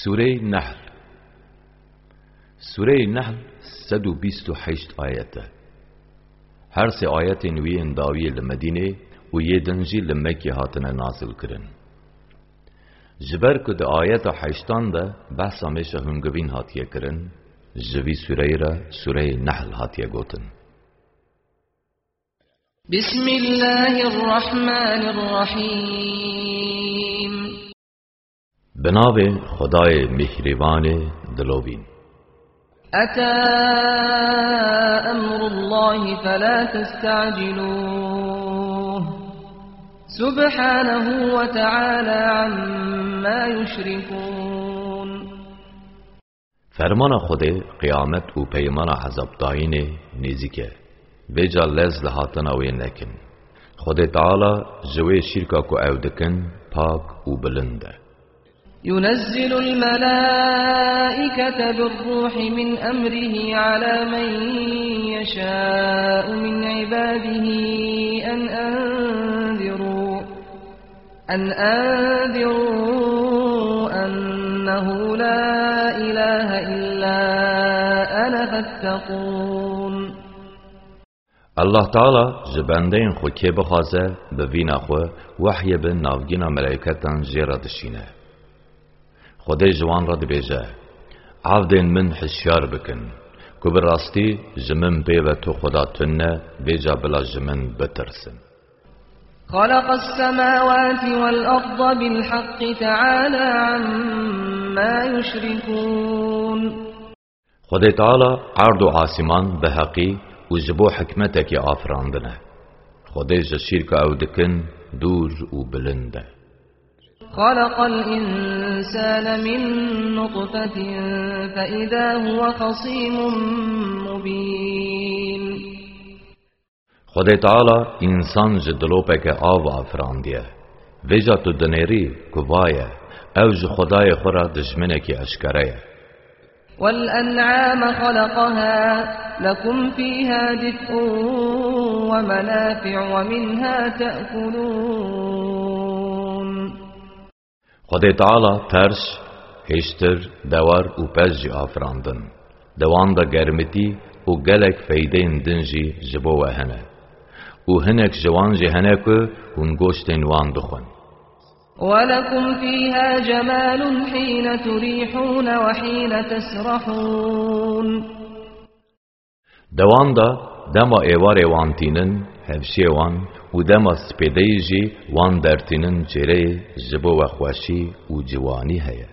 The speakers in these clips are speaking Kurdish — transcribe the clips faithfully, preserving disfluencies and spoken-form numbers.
Sûreyê Nehl. Sûreyê Nehl sed û bîst û heşt ayet e. Her sê ayetên wî yên dawiyê li Medînê û yê din jî li Mekkê hatine nazil kirin. Ji ber ku di ayeta heştan de behsa mêşa hingivîn hatiye kirin, ji vî sûreyê re Sûreyê Nehl hatiye gotin. بسم الله الرحمن الرحيم. Bi navê Xwedayê Mîhrîvanê dilovîn. أتى أمر الله فلا تستعجلوه سبحانه وتعالى عما يشركون. Fermana Xwedê, qiyamet û peymana ezabdayînê nêzîk e. Vêca lez li hatina wê nekin. Xwedê Teala ji wê şîrka ku ew dikin, pak û bilind e. ينزل الملائكة بالروح من أمره على من يشاء من عباده أن أنذروا أن أنذروا أنه لا إله إلا أنا فاتقون. Allah Teala ji bendeyên xwe kê bixwaze, bi vîna xwe wehyê bi navgîna meleîketan jê re dişîne. Xwedê ji wan re dibêje, Evdên min hişyar bikin, ku bi rastî ji min pê ve tu Xweda tune, vêca bila ji min bitirsin. خلق السماوات والأرض بالحق تعالى عما يشركون. Xwedê Teala erd û asîman bi heqî û ji bo hikmetekî afirandine. Xwedê ji şîrka ew dikin dûr û bilind e. خلق الإنسان من نطفة فإذا هو خصيم مبين. Xwedê Teala însan ji dilopeke av afirandiye. Vêca tu dinêrî ku vaye, ew ji Xwedayê xwe re dijminekî eşkere ye. والأنعام خلقها لكم فيها دفء ومنافع ومنها تأكلون. Xwedê Teala perş, hêştir, dewar û pez jî afirandin. Di wan de germitî û gelek feydeyên din jî ji bo we hene. Û hinek ji wan jî hene ku hûn goştên wan dixwin. ولكم فيها جمال حين تريحون وحين تسرحون. Di wan de dema êvarê wan tînin, hevşiyê wan û dema spêdeyî jî wan dertînin çêreyê ji bo we xweşî û ciwanî heye.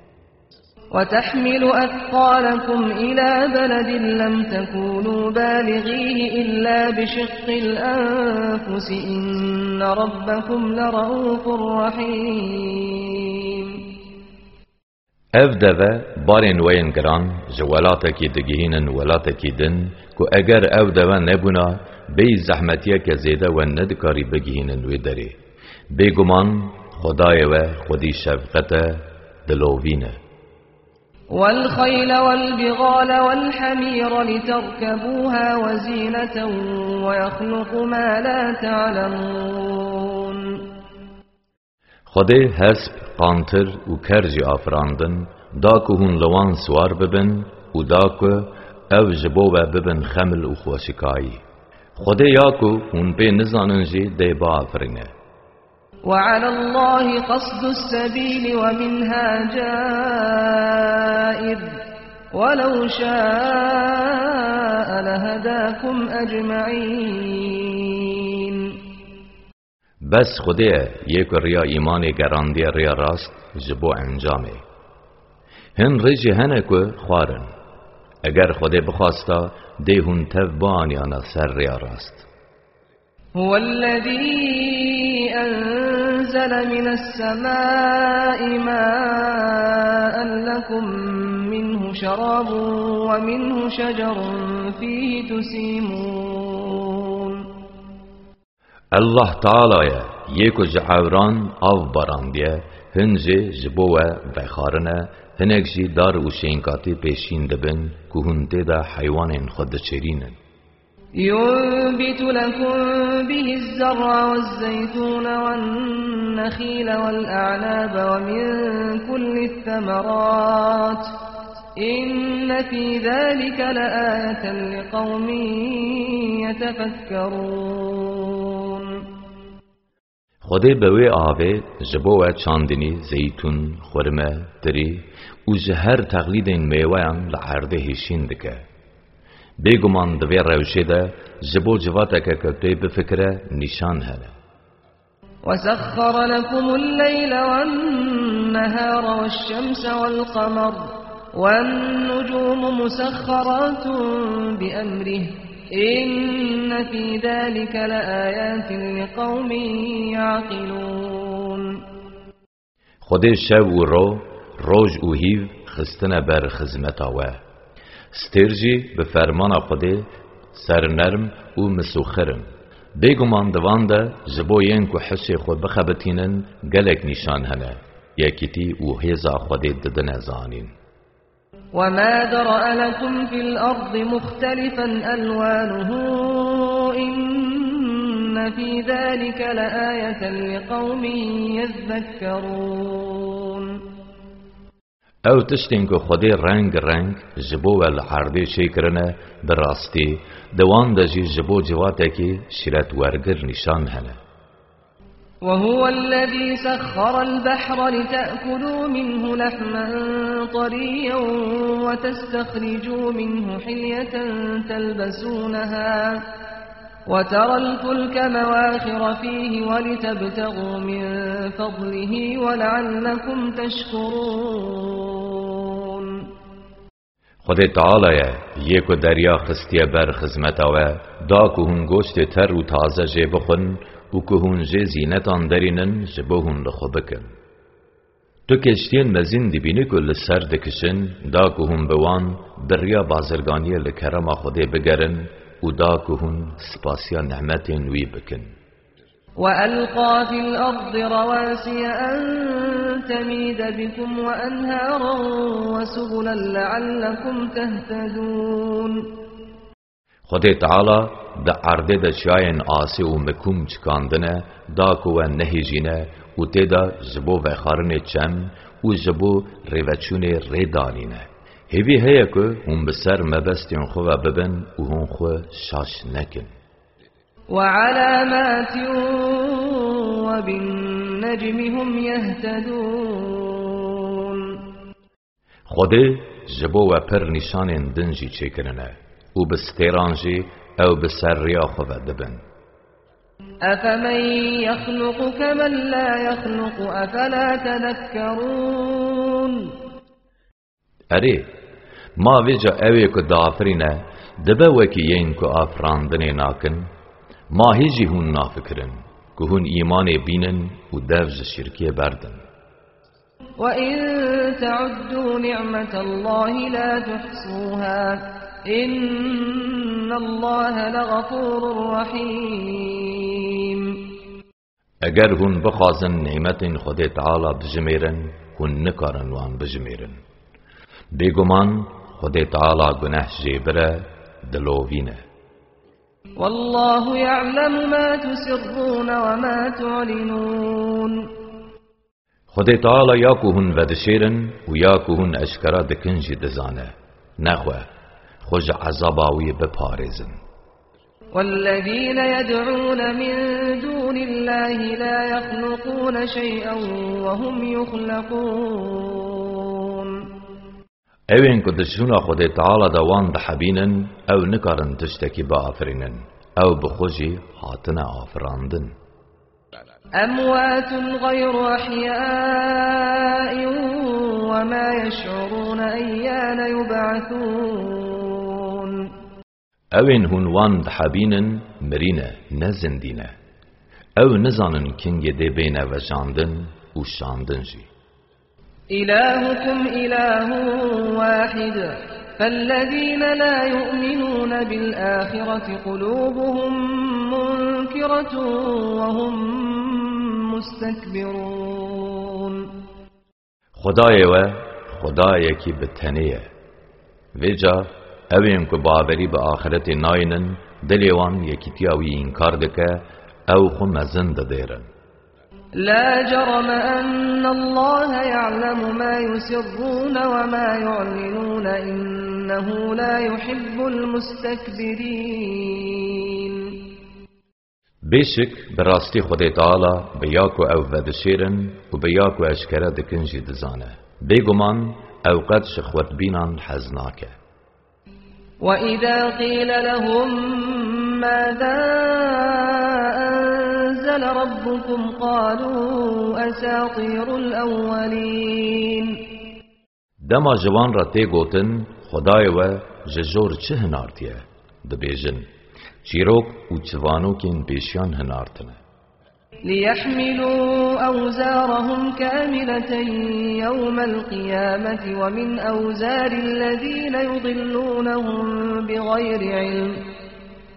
وتحمل أثقالكم إلى بلد لم تكونوا بالغيه إلا بشق الأنفس إن ربكم لرءوف رحيم. Ev deve barên we yên giran ji welatekî digihînin welatekî din, ku eger ew deve nebûna, bêyî zehmetiyeke zêde we nedikarî bigihînin wê derê. Bêguman Xwedayê we xwedî şefqet e, dilovîn e. والخيل والبغال والحمير لتركبوها وزينة ويخلق ما لا تعلمون. Xwedê hesp, qantir û ker jî afirandin, da ku hûn li wan siwar bibin û da ku ew ji bo we bibin xemil û xweşikayî. Xwedê ya ku hûn pê nizanin jî dê biafirîne. وعلى الله قصد السبيل ومنها جائر ولو شاء لهداكم أجمعين. Bes Xwedê ye, yê ku riya îmanê gerandiye riya rast ji bo encamê. Hin rê jî hene ku xwar in. Eger Xwedê bixwasta, dê hûn tev bianiyana ser riya rast. هو الذي أنزل من السماء ماء لكم منه شراب ومنه شجر فيه تسيمون. Allah Teala ye, yê ku ji ewran av barandiye, hin jê ji bo we vexwarine, hinek jî dar û şênkatî pêşîn dibin, ku hûn tê de heywanên xwe diçêrînin. ينبت لكم به الزرع والزيتون والنخيل والأعناب ومن كل الثمرات إن في ذلك لآية لقوم يتفكرون. Xwedê bi wê avê ji bo we çandinî, zeytûn, xurme, tirî û ji her texlîdên mêweyan li erdê hêşîn dike. Bêguman di vê rewşê de ji bo civateke ku pê bifikire nîşan hene. وسخر لكم الليل والنهار والشمس والقمر والنجوم مسخرات بأمره إن في ذلك لآيات لقوم يعقلون. Xwedê şev û ro, roj û hîv xistine ber xizmeta we. Stêr jî bi fermana Xwedê sernerm û misûxir in. Bêguman di van de ji bo yên ku hişê xwe bixebitînin gelek nîşan hene, yekîtî û hêza Xwedê didine zanîn. وما ذرأ لكم في الأرض مختلفا ألوانه إن في ذلك لآية لقوم يذكرون. Ew tiştên ku Xwedê reng reng ji bo we li erdê çêkirine, bi rastî di wan de jî ji bo civatekî şîretwergir nîşan hene. وهو الذي سخر البحر لتأكلوا منه لحما طريا وتستخرجوا منه حلية تلبسونها وترى الفلك مواخر فيه ولتبتغوا من فضله ولعلكم تشكرون. Xwedê Teala ye, yê ku derya xistiye ber xizmeta we, da ku hûn goştê ter û taze jê bixwin û ku hûn jê zînetan derînin ji bo hûn li xwe bikin. Tu keştiyên mezin dibînî ku li ser dikişin, da ku hûn bi wan bi riya bazirganiyê li kerema Xwedê bigerin û da ku hûn spasiya nemetên wî bikin. وألقى في الأرض رواسي أن تميد بكم وأنهارا وسبلا لعلكم تهتدون. Xwedê Teala di erdê de çiyayên asê û mikum çikandine, da ku we nehêjîne û tê de ji bo vexwarinê çem û ji bo rêveçûnê rê danîne. Hêvî heye ku hûn bi ser mebestên xwe ve bibin û hûn xwe şaş nekin. وعلامات وبالنجم هم يهتدون. Xwedê ji bo we pir nîşanên din jî çêkirine û bi stêran jî ew bi ser riya xwe ve dibin. أفمن يخلق كمن لا يخلق أفلا تذكرون. Erê, ma vêca ew ê ku diafirîne, dibe wekî yên ku afirandinê nakin? Ma hê jî hûn nafikirin, ku hûn îmanê bînin û dev ji şirkê berdin. وإن تعدوا نعمة الله لا تحصوها إن الله لغفور رحيم. Eger hûn bixwazin nîmetên Xwedê Teala bijimêrin, hûn nikarin wan bijimêrin. Bêguman Xwedê Teala guneh jêbir e, dilovîn e. والله يعلم ما تسرون وما تعلنون. Xwedê Teala ya ku hûn vedişêrin û ya ku hûn eşkera dikin jî dizane. Nexwe, xwe ji ezaba wî biparêzin. والذين يدعون من دون الله لا يخلقون شيئا وهم يخلقون. Ewên ku di şûna Xwedê Teala de wan dihebînin, ew nikarin tiştekî biafirînin. Ew bi xwe jî hatine afirandin. أموات غير أحياء وما يشعرون أيان يبعثون. Ewên hûn wan dihebînin, mirî ne, ne zindî ne. Ew nizanin kingê dê bêne vejandin û şandin jî. إلهكم إله واحد فالذين لا يؤمنون بالآخرة قلوبهم منكرة وهم مستكبرون. Xwedayê we, Xwedayekî bi tenê ye. Vêca ewên ku bawerî bi axretê naynin, Dilê wan yekîtiya wî înkar dike, ew xwe mezin didêrin. لا جرم أن الله يعلم ما يسرون وما يعلنون إنه لا يحب المستكبرين. Bêşik, bi rastî Xwedê Teala bi ya ku ew vedişêrin û bi ya ku eşkere dikin jî dizane. Bêguman ew qet ji xwedbînan hez nake. وإذا قيل لهم ماذا أنزل ربكم قالوا أساطير الأولين. Dema ji wan re tê gotin, Xwedayê we ji jor çi hinartiye? Dibêjin, çîrok û çivanokên pêşiyan hinartine. ليحملوا أوزارهم كاملة يوم القيامة ومن أوزار الذين يضلونهم بغير علم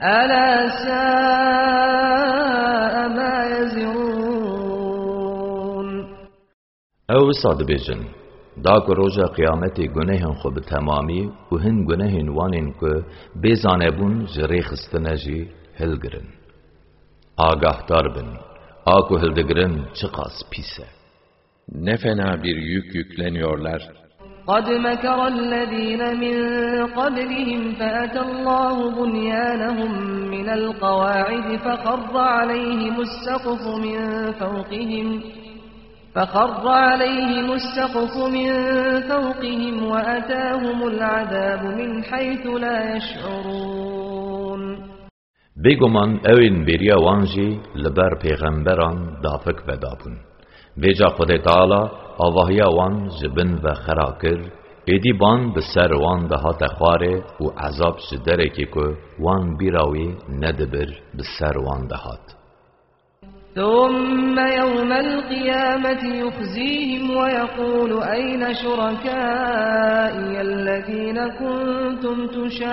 ألا ساء ما يزرون. Ew wisa dibêjin, da ku roja qiyametê gunehên xwe bi temamî û hin gunehên wan ên ku bê zanebûn ji rê xistine jî hilgirin. Agahdar bin, a ku hildigirin çiqas pîs e. Ne fena bir yük yükleniyorlar. قد مكر الذين من قبلهم فأتى الله بنيانهم من القواعد فخر عليهم السقف من فوقهم فخر عليهم السقف من فوقهم وأتاهم العذاب من حيث لا يشعرون. Bêguman ew ên bêriya wan jî li ber pêxemberan dafik vedabûn. Vêca Xwedê Teala avahiya wan ji bin ve xera kir, êdî ban bi ser wan de hate xwarê û ezab ji derekê ku wan bîra wî nedibir bi ser wan de hat. ثم يوم القيامة يخزيهم ويقول أين شركائي الذين كنتم تشاقون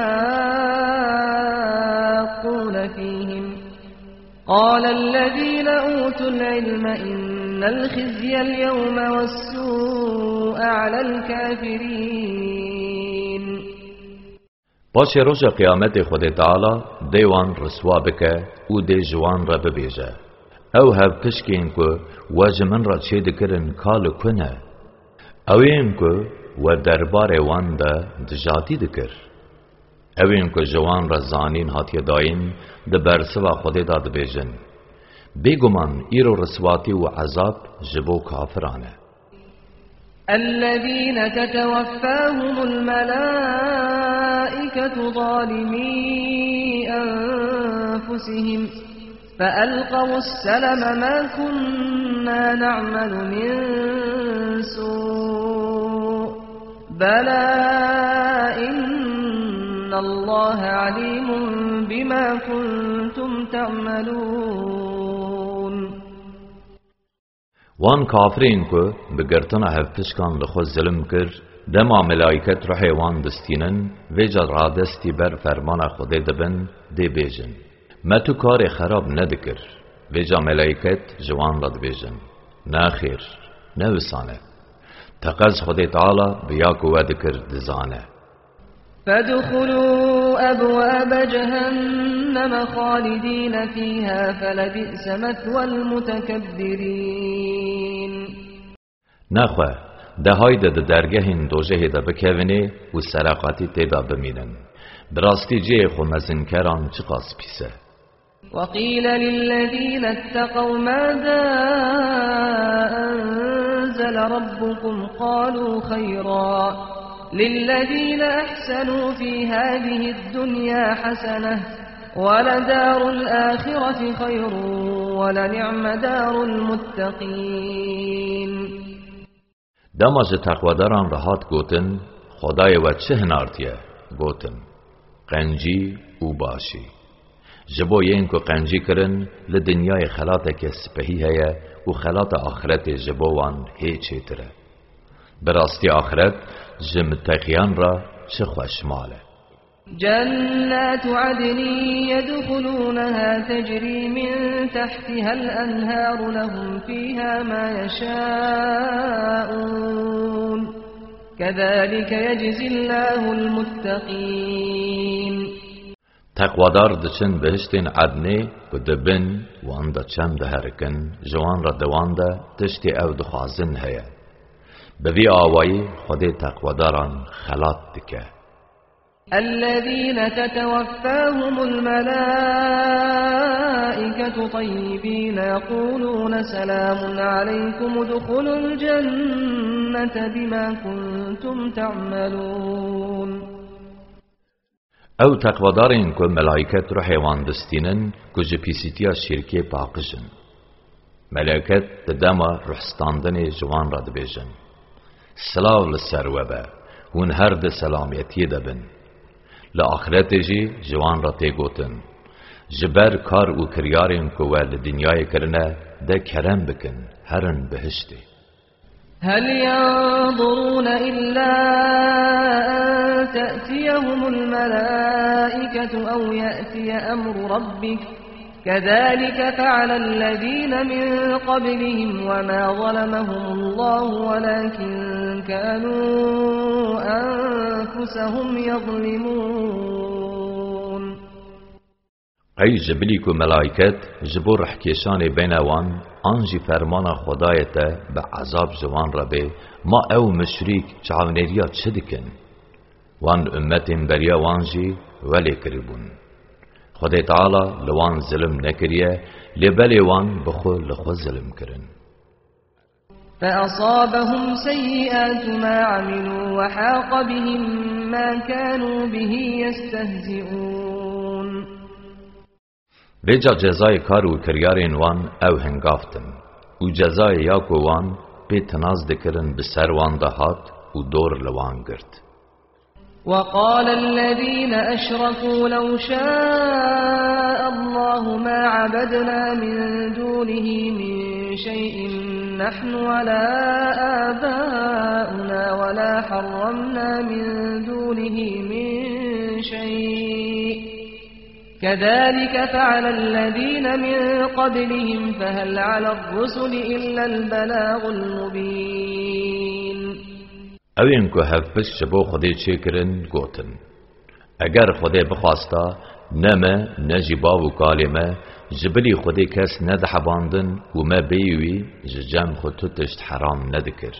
فيهم قال الذين أوتوا العلم إن الخزي اليوم والسوء على الكافرين. Paşê roja qiyametê Xwedê Teala dê wan riswa bike û dê ji wan re bibêje, Ew hevpişkên ku we ji min re çêdikirin ka li ku ne? Ew ên ku we derbarê wan de dijatî dikir? Ew ên ku ji wan re zanîn hatiye dayîn, di bersiva Xwedê de dibêjin, Bêguman îro riswatî û ezab ji bo kafiran e. الذين تتوفاهم الملائكة ظالمي أنفسهم فألقوا السلم ما كنا نعمل من سوء بلى إن الله عليم بما كنتم تعملون. Wan kafirên ku bi girtina hevpişkan li xwe zilim kir, dema melayket ruhê wan distînin, vêca radestî ber fermana Xwedê dibin, dê bêjin, Me tu karê xerab nedikir. Vêca melayket ji wan re dibêjin, Nexêr, ne wisan e. Teqez Xwedê Teala bi ya ku we dikir dizane. فادخلوا أبواب جهنم خالدين فيها فلبئس مثوى المتكبرين. Nexwe, de hayde di dergehên dojehê de bikevinê û sereqatî tê de bimînin. Bi rastî cihê xwe mezinkeran çiqas pîs e. وقيل للذين اتقوا ماذا أنزل ربكم قالوا خيرا للذين أحسنوا في هذه الدنيا حسنة ولدار الآخرة خير ولنعم دار المتقين. Dema ji teqwedaran re hat gotin, Xwedayê we çi hinartiye? Gotin, Qencî û başî. Ji bo yên ku qencî kirin, li dinyayê xelateke spehî heye û xelata axiretê ji bo wan hê çêtir e. Bi rastî axiret ji miteqiyan re çi xweş mal e. جنات عدن يدخلونها تجري من تحتها الأنهار لهم فيها ما يشاءون كذلك يجزي الله المتقين. Teqwadar diçin bihiştên ednê ku di bin wan de çem diherikin, ji wan re di wan de tiştê ew dixwazin heye. Bi vî awayî Xwedê teqwadaran xelat dike. الذين تتوفاهم الملائكة طيبين يقولون سلام عليكم ادخلوا الجنة بما كنتم تعملون. Ew teqvedarên ku melaiket ruhê wan distînin, ku ji pîsîtiya şîrkê paqij in. Melaiket di dema ruhstandinê ji wan re dibêjin: Silav li ser we be, hûn her di selamiyetiyê de bin. Li axiretê jî ji wan re tê gotin: Ji ber kar û kiryarên ku we li dinyayê kirine, de kerem bikin, herin bihiştê. هل ينظرون إلا أن تأتيهم الملائكة أو يأتي أمر ربك كذلك فعل الذين من قبلهم وما ظلمهم الله ولكن كانوا أنفسهم يظلمون. Qey ji bilî ku melaiket ji bo rihkêşanê bêne wan, an jî fermana Xwedayê te bi ezab ji wan re bê, ma ew muşrîk çavnêriya çi dikin? Wan ummetên beriya wan jî welê kiribûn. Xwedê Teala li wan zilim nekiriye, lê belê wan bi xwe li xwe zilim kirin. فأصابهم سيئات ما عملوا وحاق بهم ما كانوا به يستهزئون. Vêca cezayê kar û kiryarên wan ew hingavtin û cezayê ya ku wan pê tinaz dikirin bi ser wan de hat û dor li wan girt. وقال الذين أشركوا لو شاء الله ما عبدنا من دونه من شيء نحن ولا آباؤنا ولا حرمنا من دونه من شيء كذلك فعل الذين من قبلهم فهل على الرسل إلا البلاغ المبين. Ew ên ku hevpişt ji bo Xwedê çêkirin, gotin: Eger Xwedê bixwasta, ne me, ne jî bav û kalê me, ji bilî Xwedê kes nedihebandin û me bêyî wî ji cem xwe tu tişt heram nedikir.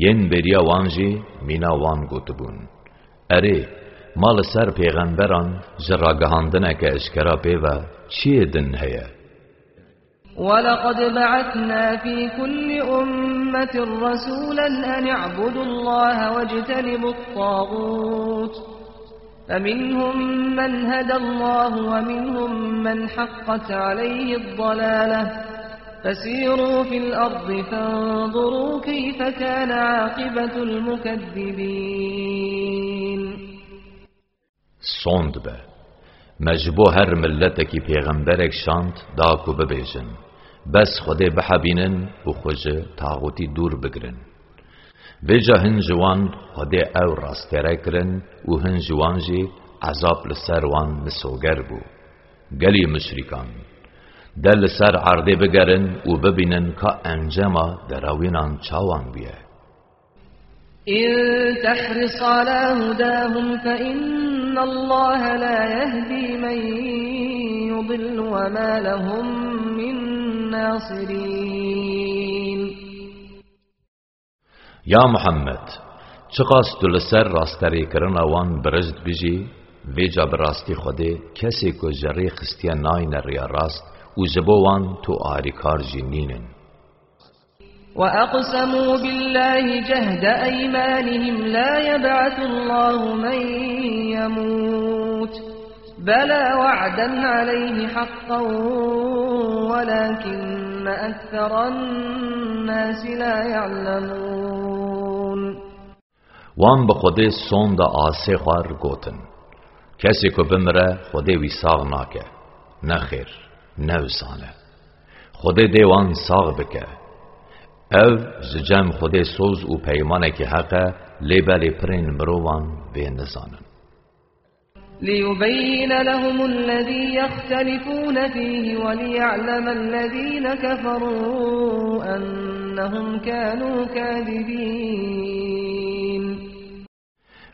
Yên bêriya wan jî mîna wan gotibûn: Erê, ma li ser pêxemberan ji ragihandineke eşkera pê ve çiyê din heye? ولقد بعثنا في كل أمة رسولا أن اعبدوا الله واجتنبوا الطاغوت فمنهم من هدى الله ومنهم من حقت عليه الضلالة فسيروا في الأرض فانظروا كيف كان عاقبة المكذبين. Sond be. Me ji bo her miletekî pêxemberek şand da ku bibêjin: Bes Xwedê bihebînin û xwe ji taxûtî dûr bigirin. Vêca hin ji wan Xwedê ew rastêre kirin û hin ji wan jî ezab li ser wan misoger bû. Gelî muşrîkan, de li ser erdê bigerin û bibînin ka encama derawînan çawan bûye. إن تحرص على هداهم فإن الله لا يهدي من يضل وما لهم من ناصرين. Ya Muhammed, çiqas tu li ser rasterêkirina wan biriz dibijî, vêca bi rastî Xwedê kesê ku ji rê xistiye nayne riya rast û ji bo wan tu arîkar jî nînin. وأقسموا بالله جهد أيمانهم لا يبعث الله من يموت بلى وعدا عليه حقا ولكن أكثر الناس لا يعلمون. Wan bi Xwedê sonda asê xwar gotin: Kesê ku bimire, Xwedê wî sax nake. Nexêr, ne wisan e. Xwedê dê wan sax bike. Ev ji cem Xwedê soz û peymanekî heq e, lê belê pirên mirovan vê nizanin. ليبين لهم الذي يختلفون فيه وليعلم الذين كفروا أنهم كانوا كاذبين.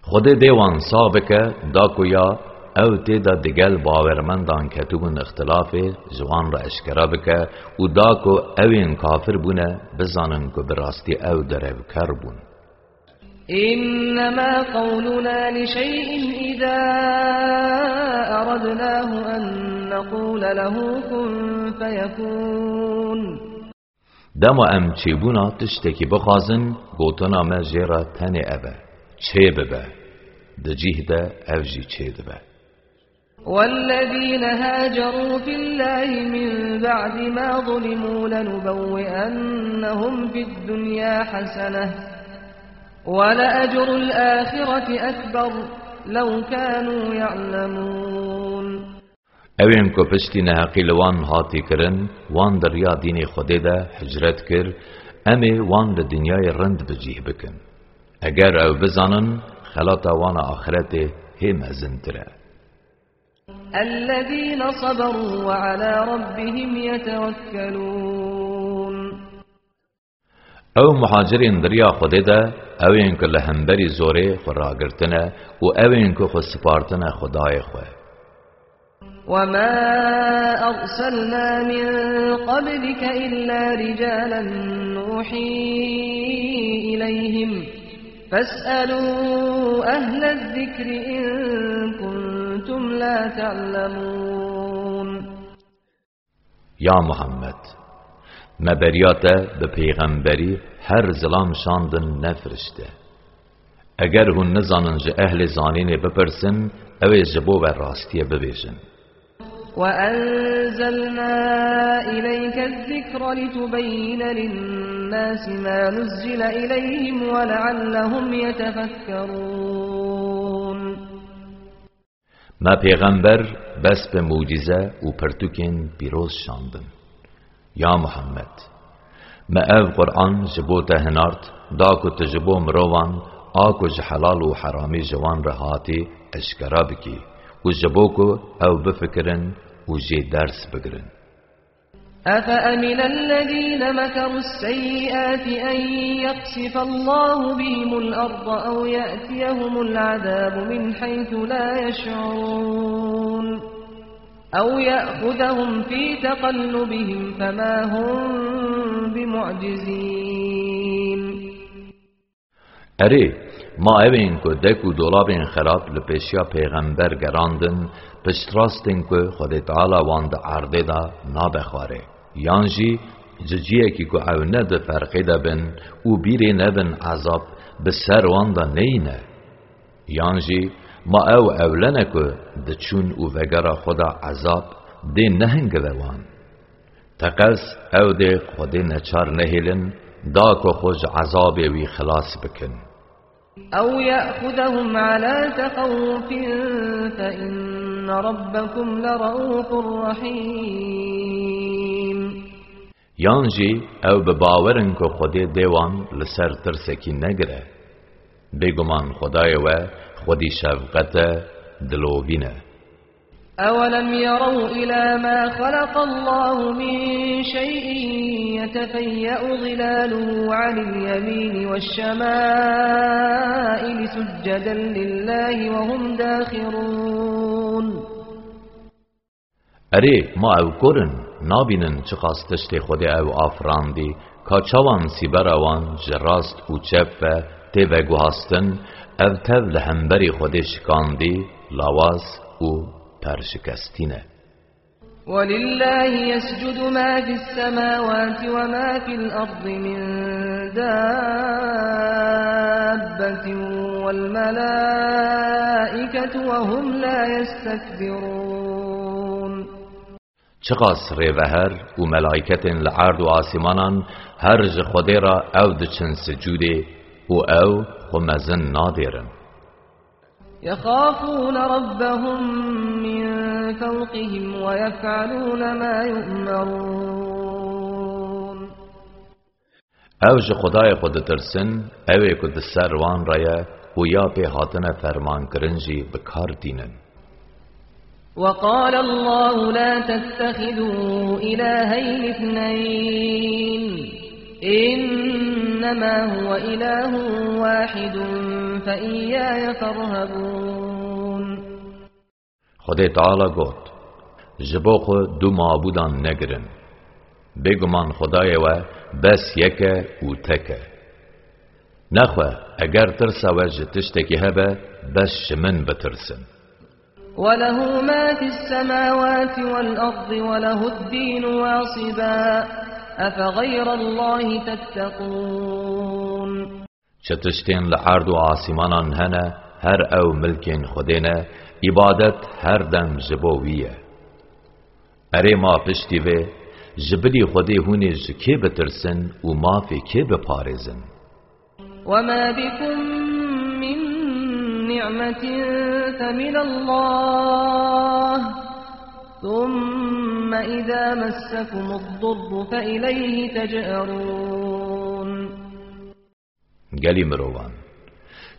Xwedê dê wan sax bike, da ku ya Ew tê de digel bawermendan ketibûn îxtilafê, ji wan re eşkera bike û da ku ew ên kafir bûne, bizanin ku bi rastî ew derevker bûn. إنما قولنا لشيء إذا أردناه أن نقول له كن فيكون. Dema em çêbûna tiştekî bixwazin, gotina me jê re tenê ev e: çê bibe. Di cih de ev jî çêdibe. والذين هاجروا في الله من بعد ما ظلموا لنبوئنهم في الدنيا حسنة ولأجر الآخرة أكبر لو كانوا يعلمون. Ew ên ku piştî neheqî li wan hatî kirin, wan di riya dînê Xwedê de hicret kir, em ê wan li dinyayê rind bi cih bikin. Eger ew bizanin, xelata wan a axiretê hê mezintir e. الذين صبروا وعلى ربهم يتوكلون. Ew muhacirên di riya Xwedê de, ew ên ku li hemberî zorê xwe ragirtine û ew ên ku xwe spartine Xwedayê xwe. وما أرسلنا من قبلك إلا رجالا نوحي إليهم فاسألوا أهل الذكر إن كنتم لا تعلمون. Ya Muhammed, me beriya te bi pêxemberî her zilam şandin ne firişte. Eger hûn nizanin ji ehlê zanînê bipirsin, ew ê ji bo we rastiyê bibêjin. وأنزلنا إليك الذكر لتبين للناس ما نزل إليهم ولعلهم يتفكرون. Me pêxember bes bi mucîze û pirtûkên pîroz şandin. Ya Muhammed, me ev Quran ji bo te hinart, da ku tu ji bo mirovan, a ku ji helal û heramî ji wan re hatî, eşkera bikî û ji bo ku ew bifikirin û jê ders bigirin. أفأمن الذين مكروا السيئات أن يخسف الله بهم الأرض أو يأتيهم العذاب من حيث لا يشعرون أو يأخذهم في تقلبهم فما هم بمعجزين. Erê, ma ew ên ku dek û dolabên xerab li pêşiya pêxember gerandin, piştrastên ku Xwedê Teala wan di erdê de nabe xwarê? Yan jî ji ciyekî ku ew ne di ferqê de bin û bîrê nebin ezab bi ser wan de neyîne? Yan jî ma ew ewle ne ku diçûn û vegera xwe de ezab dê nehingive wan? Teqez ew dê Xwedê neçar nehêlin, da ku xwe ji ezabê wî xilas bikin. أو يأخذهم على تخوف فإن ربكم لرءوف رحيم. Yan jî ew bi bawer in ku Xwedê dê wan li ser tirsekî negire. Bêguman Xwedayê we xwedî şefqet e, dilovîn e. أولم يروا إلى ما خلق الله من شيء يتفيأ ظلاله عن اليمين والشمائل سجدا لله وهم داخرون. Erê, ma ew kor in, nabînin çiqas tiştê Xwedê ew afirandî, ka çawan sîbera wan ji rast û çep ve tê veguhastin, ev tev li hemberî Xwedê şikandî, lawaz û perşikestî ne. ولله يسجد ما في السماوات وما في الأرض من دابة والملائكة وهم لا يستكبرون. Çiqas rêveher û melaîketên li erd û asîmanan her ji Xwedê re ew diçin sicûdê û ew xwe mezin nadêrin. يخافون ربهم من فوقهم ويفعلون ما يؤمرون. Ew ji Xwedayê xwe ditirsin, ew ê ku di ser wan re ye û ya pê hatine fermankirin jî bi kar tînin. وقال الله لا تتخذوا إلهين اثنين إنما هو إله واحد فإياي فارهبون. Xwedê Teala got: Ji bo xwe du mabûdan negirin. Bêguman Xwedayê we bes yek e û tek e. Nexwe, eger tirsa we ji tiştekî hebe, bes ji min bitirsin. وله ما في السماوات والأرض وله الدين واصبا أفغير الله تتقون. Çi tiştên li erd û asîmanan hene, her ew milkên Xwedê ne, îbadet her dem ji bo wî ye. Erê ma piştî vê, ji bilî Xwedê hûn ê ji kê bitirsin û mafê kê biparêzin? وما بكم من نعمة فمن الله، ثم إذا مسكم الضر فإليه تجأرون. Gelî mirovan,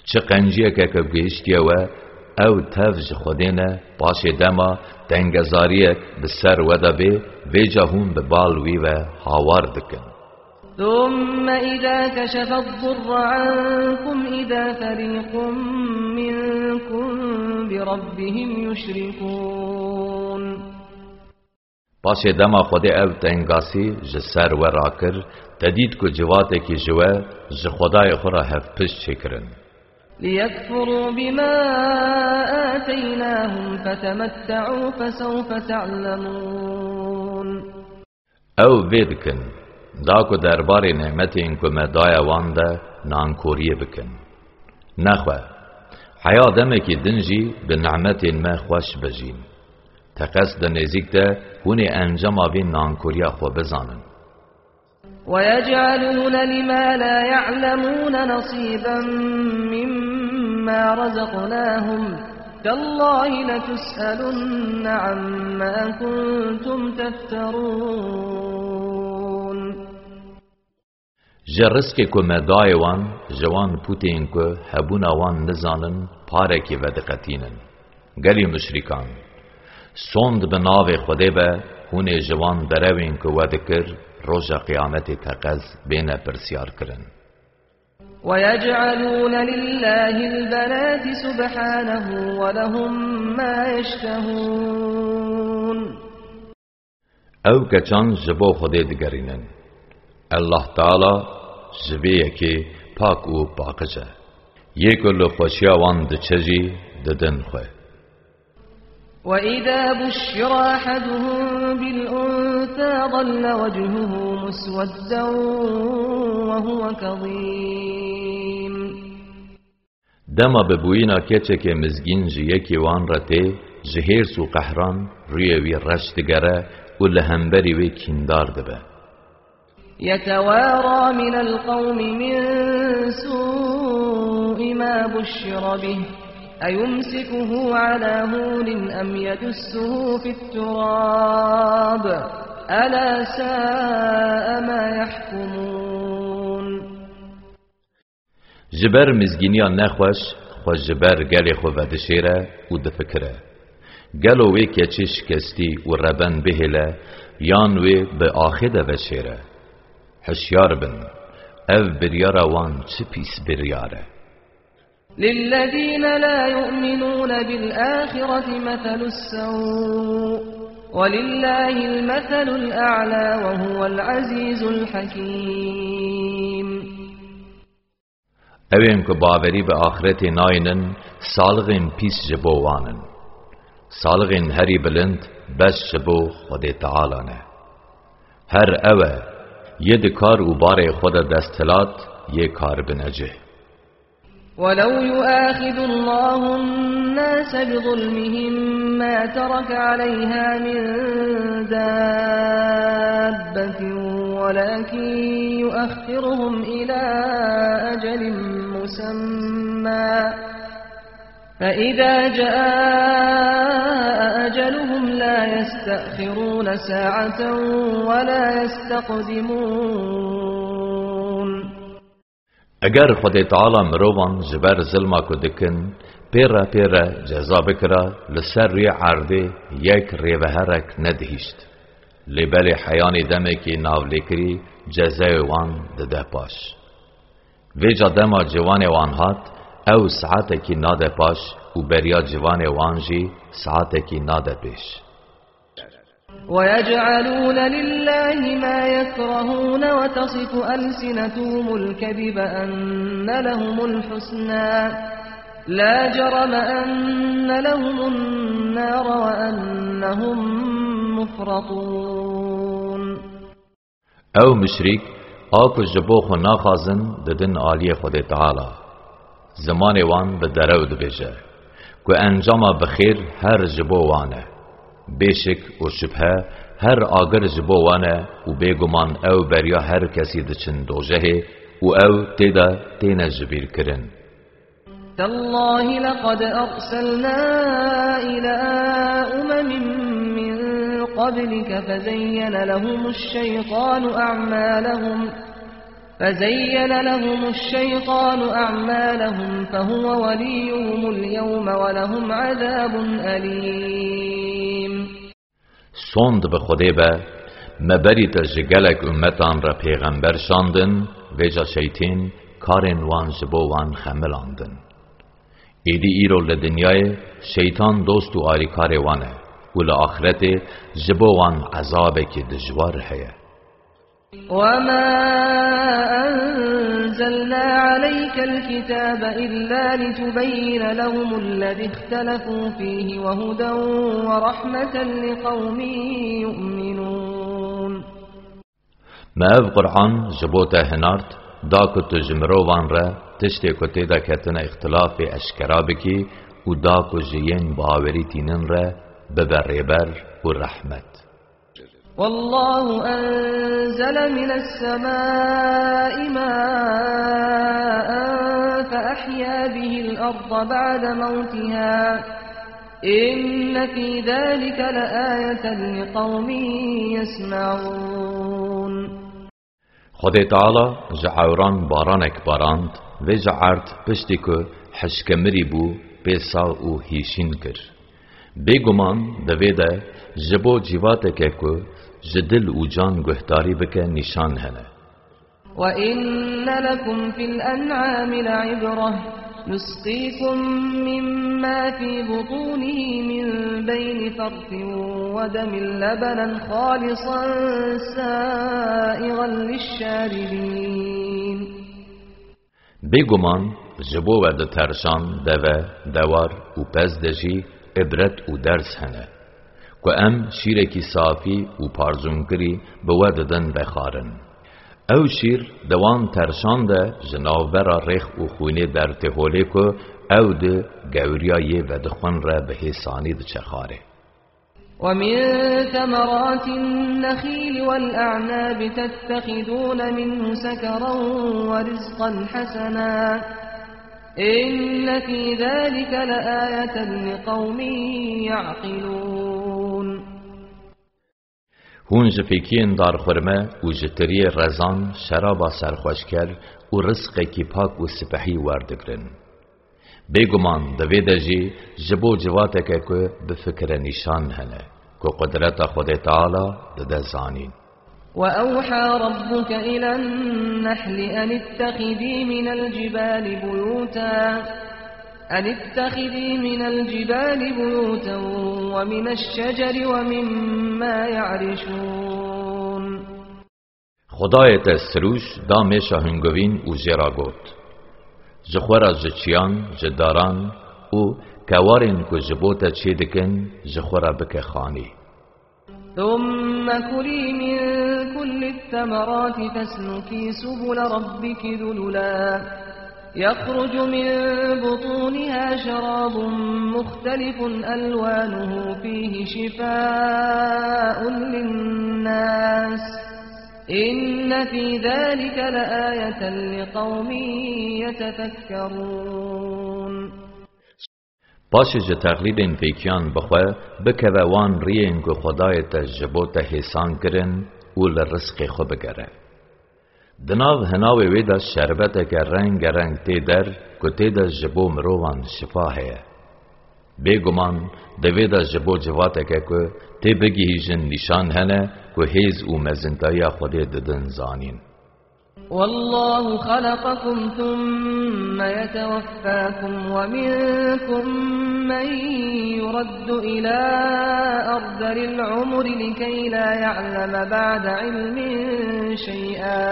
çi qenciyeke ku gihiştiye we, ew tev ji Xwedê ne, paşê dema tengezariyek bi ser we de bê, vêca hûn bi bal wî ve hawar dikin. ثم إذا كشف الضر عنكم إذا فريق منكم بربهم يشركون. Paşê dema Xwedê ev tengasî ji ser we rakir, te dît ku civatekî ji we ji Xwedayê xwe re hevpişt çêkirin. ليكفروا بما آتيناهم فتمتعوا فسوف تعلمون. Ew vê dikin, da ku derbarê nemetên ku me daye wan de nankoriyê bikin. Nexwe, heya demekî din jî bi nemetên me xweş bijîn. Teqez di nêzîk de hûn ê encama vê nankoriya xwe bizanin. ويجعلون لما لا يعلمون نصيبا مما رزقناهم تالله لتسألن عما كنتم تفترون. Ji rizqê ku me dayê wan, ji wan pûtên ku hebûna wan nizanin, parekî vediqetînin. Gelî muşrîkan, sond bi navê Xwedê be, hûn ê ji wan derewên ku we dikir, roja qiyametê teqez bêne pirsyar kirin. ويجعلون لله البنات سبحانه ولهم ما يشتهون. Ew keçan ji bo Xwedê digerînin. Allah Teala ji vê yekê pak û paqij e. Yê ku li xweşiya wan diçe jî didin xwe. وإذا بشر أحدهم بالأنثى ظل وجهه مسودا وهو كظيم. Dema bi bûyîna keçekê mizgîn ji yekî wan re tê, ji hêrs û qehran rûyê wî reş digere û li hemberî wê kîndar dibe. يتوارى من القوم من سوء ما بشر به أيمسكه على هون أم يدسه في التراب ألا ساء ما يحكمون. Ji ber mizgîniya nexweş, xwe ji ber gelê xwe vedişêre û difikire: Gelo wê keçê şikestî û reben bihêle, yan wê bi axê de veşêre? Hişyar bin, ev biryara wan çi pîs biryar e. للذين لا يؤمنون بالآخرة مثل السوء ولله المثل الأعلى وهو العزيز الحكيم. Ewên ku bawerî bi axretê naynin, salixên pîs ji bo wan in. Salixên herî bilind bes ji bo Xwedê Teala ne. Her ew e, yê di kar û barê xwe de desthilat, yê karbinecih. ولو يؤاخذ الله الناس بظلمهم ما ترك عليها من دابة ولكن يؤخرهم إلى أجل مسمى فإذا جاء أجلهم لا يستأخرون ساعة ولا يستقدمون. Eger Xwedê Teala mirovan ji ber zilma ku dikin, pê re pê re ceza bikira, li ser rûyê erdê yek rêveherek nedihîşt. Lê belê heyanî demekî navlêkirî cezayê wan dide paş. Vêca dema ciwanê wan hat, Ew saetekî nade paş û beriya civanê wan jî saetekî nade pêş. ويجعلون لله ما يكرهون وتصف ألسنتهم الكذب أن لهم الحسنى لا جرم أن لهم النار وأنهم مفرطون. Ew muşrîk, a ku ji bo xwe naxwazin, didin aliyê Xwedê Teala. Zimanê wan bi derew dibêje, ku encama bi xêr her ji bo wan e. Bêşik û şibhe, her agir ji bo wan e û bêguman ew beriya her kesî diçin dojehê û ew tê de têne jibîrkirin. تالله لقد أرسلنا إلى أمم من قبلك فزين لهم الشيطان أعمالهم، فزين لهم الشيطان أعمالهم فهو وليهم اليوم ولهم عذاب أليم. Sond bi Xwedê be, me berî te ji gelek ummetan re pêxember şandin, vêca şeytên karên wan ji bo wan xemilandin. Êdî îro li dinyayê şeytan dost û alîkarê wan e û li axretê ji bo wan ezabekî dijwar heye. وما أنزلنا عليك الكتاب إلا لتبين لهم الذي اختلفوا فيه وهدى ورحمة لقوم يؤمنون. Me ev Qur'an ji bo te hinart, da ku tu ji mirovan re tiştê ku tê de ketine îxtilafê eşkera bikî û da ku ji yên bawerî tînin re bibe rêber û rehmet. والله أنزل من السماء ماء فأحيا به الأرض بعد موتها إن في ذلك لآية لقوم يسمعون. Xwedê Teala ji ewran baranek barand, vêca erd piştî ku hişkemirî bû, pê sax û hîşîn kir. Bêguman di vê de ji bo cîvateke ku ji dil û can guhdarî bike nîşan hene. وإن لكم في الأنعام لعبرة نسقيكم مما في بطونه من بين فرث ودم لبنا خالصا سائغا للشاربين. Bêguman ji bo we di terşan, deve, dewar û pez de jî ibret û ders hene, ku em şîrekî safî û parzûnkirî bi we didin vexwarin. Ew şîr di wan terşan de ji navbera rêx û xwînê dertê holê ku ew di gewriya yê vedixwin re bi hêsanî diçe xwarê. ومن ثمرات النخيل والأعناب تتخذون منه سكرا ورزقا حسنا إن في ذلك لآية لقوم يعقلون. Hûn ji fêkiyên darxurme û ji tiriyê rezan şeraba serxweşker û rizqekî pak û sipehî werdigrin. Bêguman di vê de jî ji bo civateke ku bifikire nîşan hene, ku qudreta Xwedê Teala dide zanîn. وأوحى ربك إلى النحل أن اتخذي من الجبال بيوتا، أن اتخذي من الجبال بيوتا ومن الشجر ومما يعرشون. Xwedayê te sirûş da mêşa hungovîn û jê re got, ji xwe re ji çiyan, ji daran û kewarên ku ji bo te çê dikin, ji xwe re bike xanî. ثم كلي من كل الثمرات فاسلكي سبل ربك ذللا يخرج من بطونها شراب مختلف ألوانه فيه شفاء للناس إن في ذلك لآية لقوم يتفكرون. Paşê ji texlîdên fêkiyan bixwe, bikeve wan riyên ku Xwedayê te ji bo te hêsan kirin û li rizqê xwe bigere. Di nav hinavê wê de şerbeteke rengereng tê der ku tê de ji bo mirovan şifa heye. Bêguman di vê de ji bo civateke ku tê bigihîjin nîşan hene ku hêz û mezintayiya Xwedê didin zanîn. والله خلقكم ثم يتوفاكم ومنكم من يرد إلى أرذل العمر لكي لا يعلم بعد علم شيئا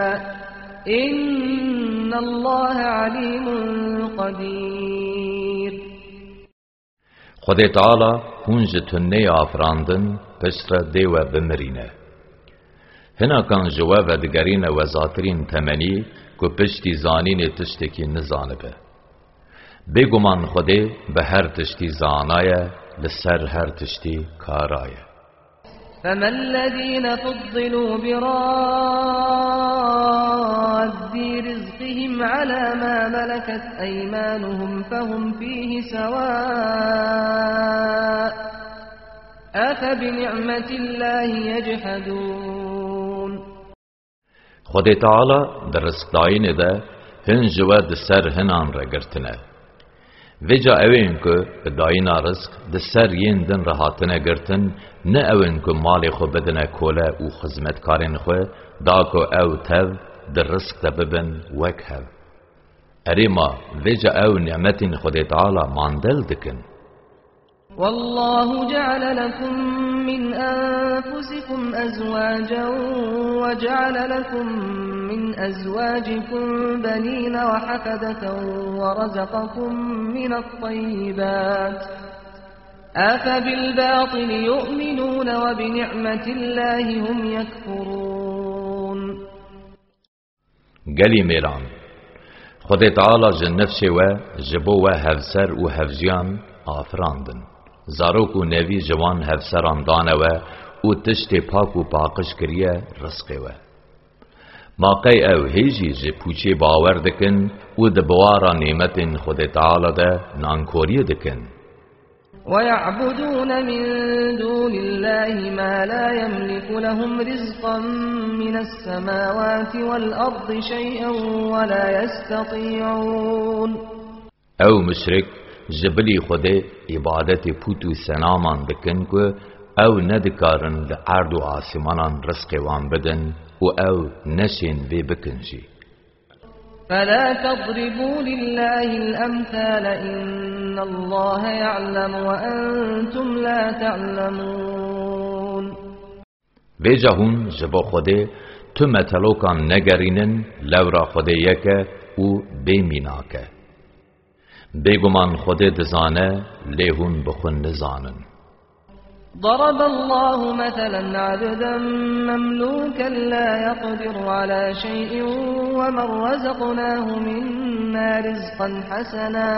إن الله عليم قدير. Xwedê Teala hûn ji tuneyê afirandin, piştre dê we bimirîne. Hinakan ji we vedigerîne wezatirîn temenî ku piştî zanînê tiştekî nizanibe. Bêguman Xwedê bi her tiştî zana ye, li ser her tiştî kara ye. فما الذين فضلوا براد رزقهم على ما ملكت أيمانهم فهم فيه سواء أفبنعمة الله يجحدون. Xwedê Teala di rizqdayînê de hin ji we di ser hinan re girtine. Vêca ew ên ku bi dayîna rizq di ser yên din re hatine girtin, ne ew in ku malê xwe bidine kole û xizmetkarên xwe, da ku ew tev di rizq de bibin wek hev. Erê ma vêca ew nîmetên Xwedê Teala mandel dikin? والله جعل لكم من أنفسكم أزواجا وجعل لكم من أزواجكم بنين وحفدة ورزقكم من الطيبات أفبالباطل يؤمنون وبنعمة الله هم يكفرون. Gelî mêran, Xwedê Teala ji nifşê we ji bo we hevser û hevjiyan afirandin. Zarok û nevî ji wan hevseran dane we û tiştê pak û paqij kiriye rizqê we. Ma qey ew hê jî ji pûçê bawer dikin û di biwara nîmetên Xwedê Teala de nankoriyê dikin? ويعبدون من دون الله ما لا يملك لهم رزقا من السماوات والأرض شيئا ولا يستطيعون. Ew muşrik ji bilî Xwedê îbadetê pût û senaman dikin ku ew nedikarin li erd û asîmanan rizqê wan bidin û ew neşên vê bikin jî. فلا تضربوا لله الأمثال إن الله يعلم وأنتم لا تعلمون. Vêca hûn ji bo Xwedê tu metelokan negerînin, lewra Xwedê yek e û bê mînak e. Bêguman Xwedê dizane, lê hûn bi xwe nizanin. ضرب الله مثلا عبدا مملوكا لا يقدر على شيء ومن رزقناه منا رزقا حسنا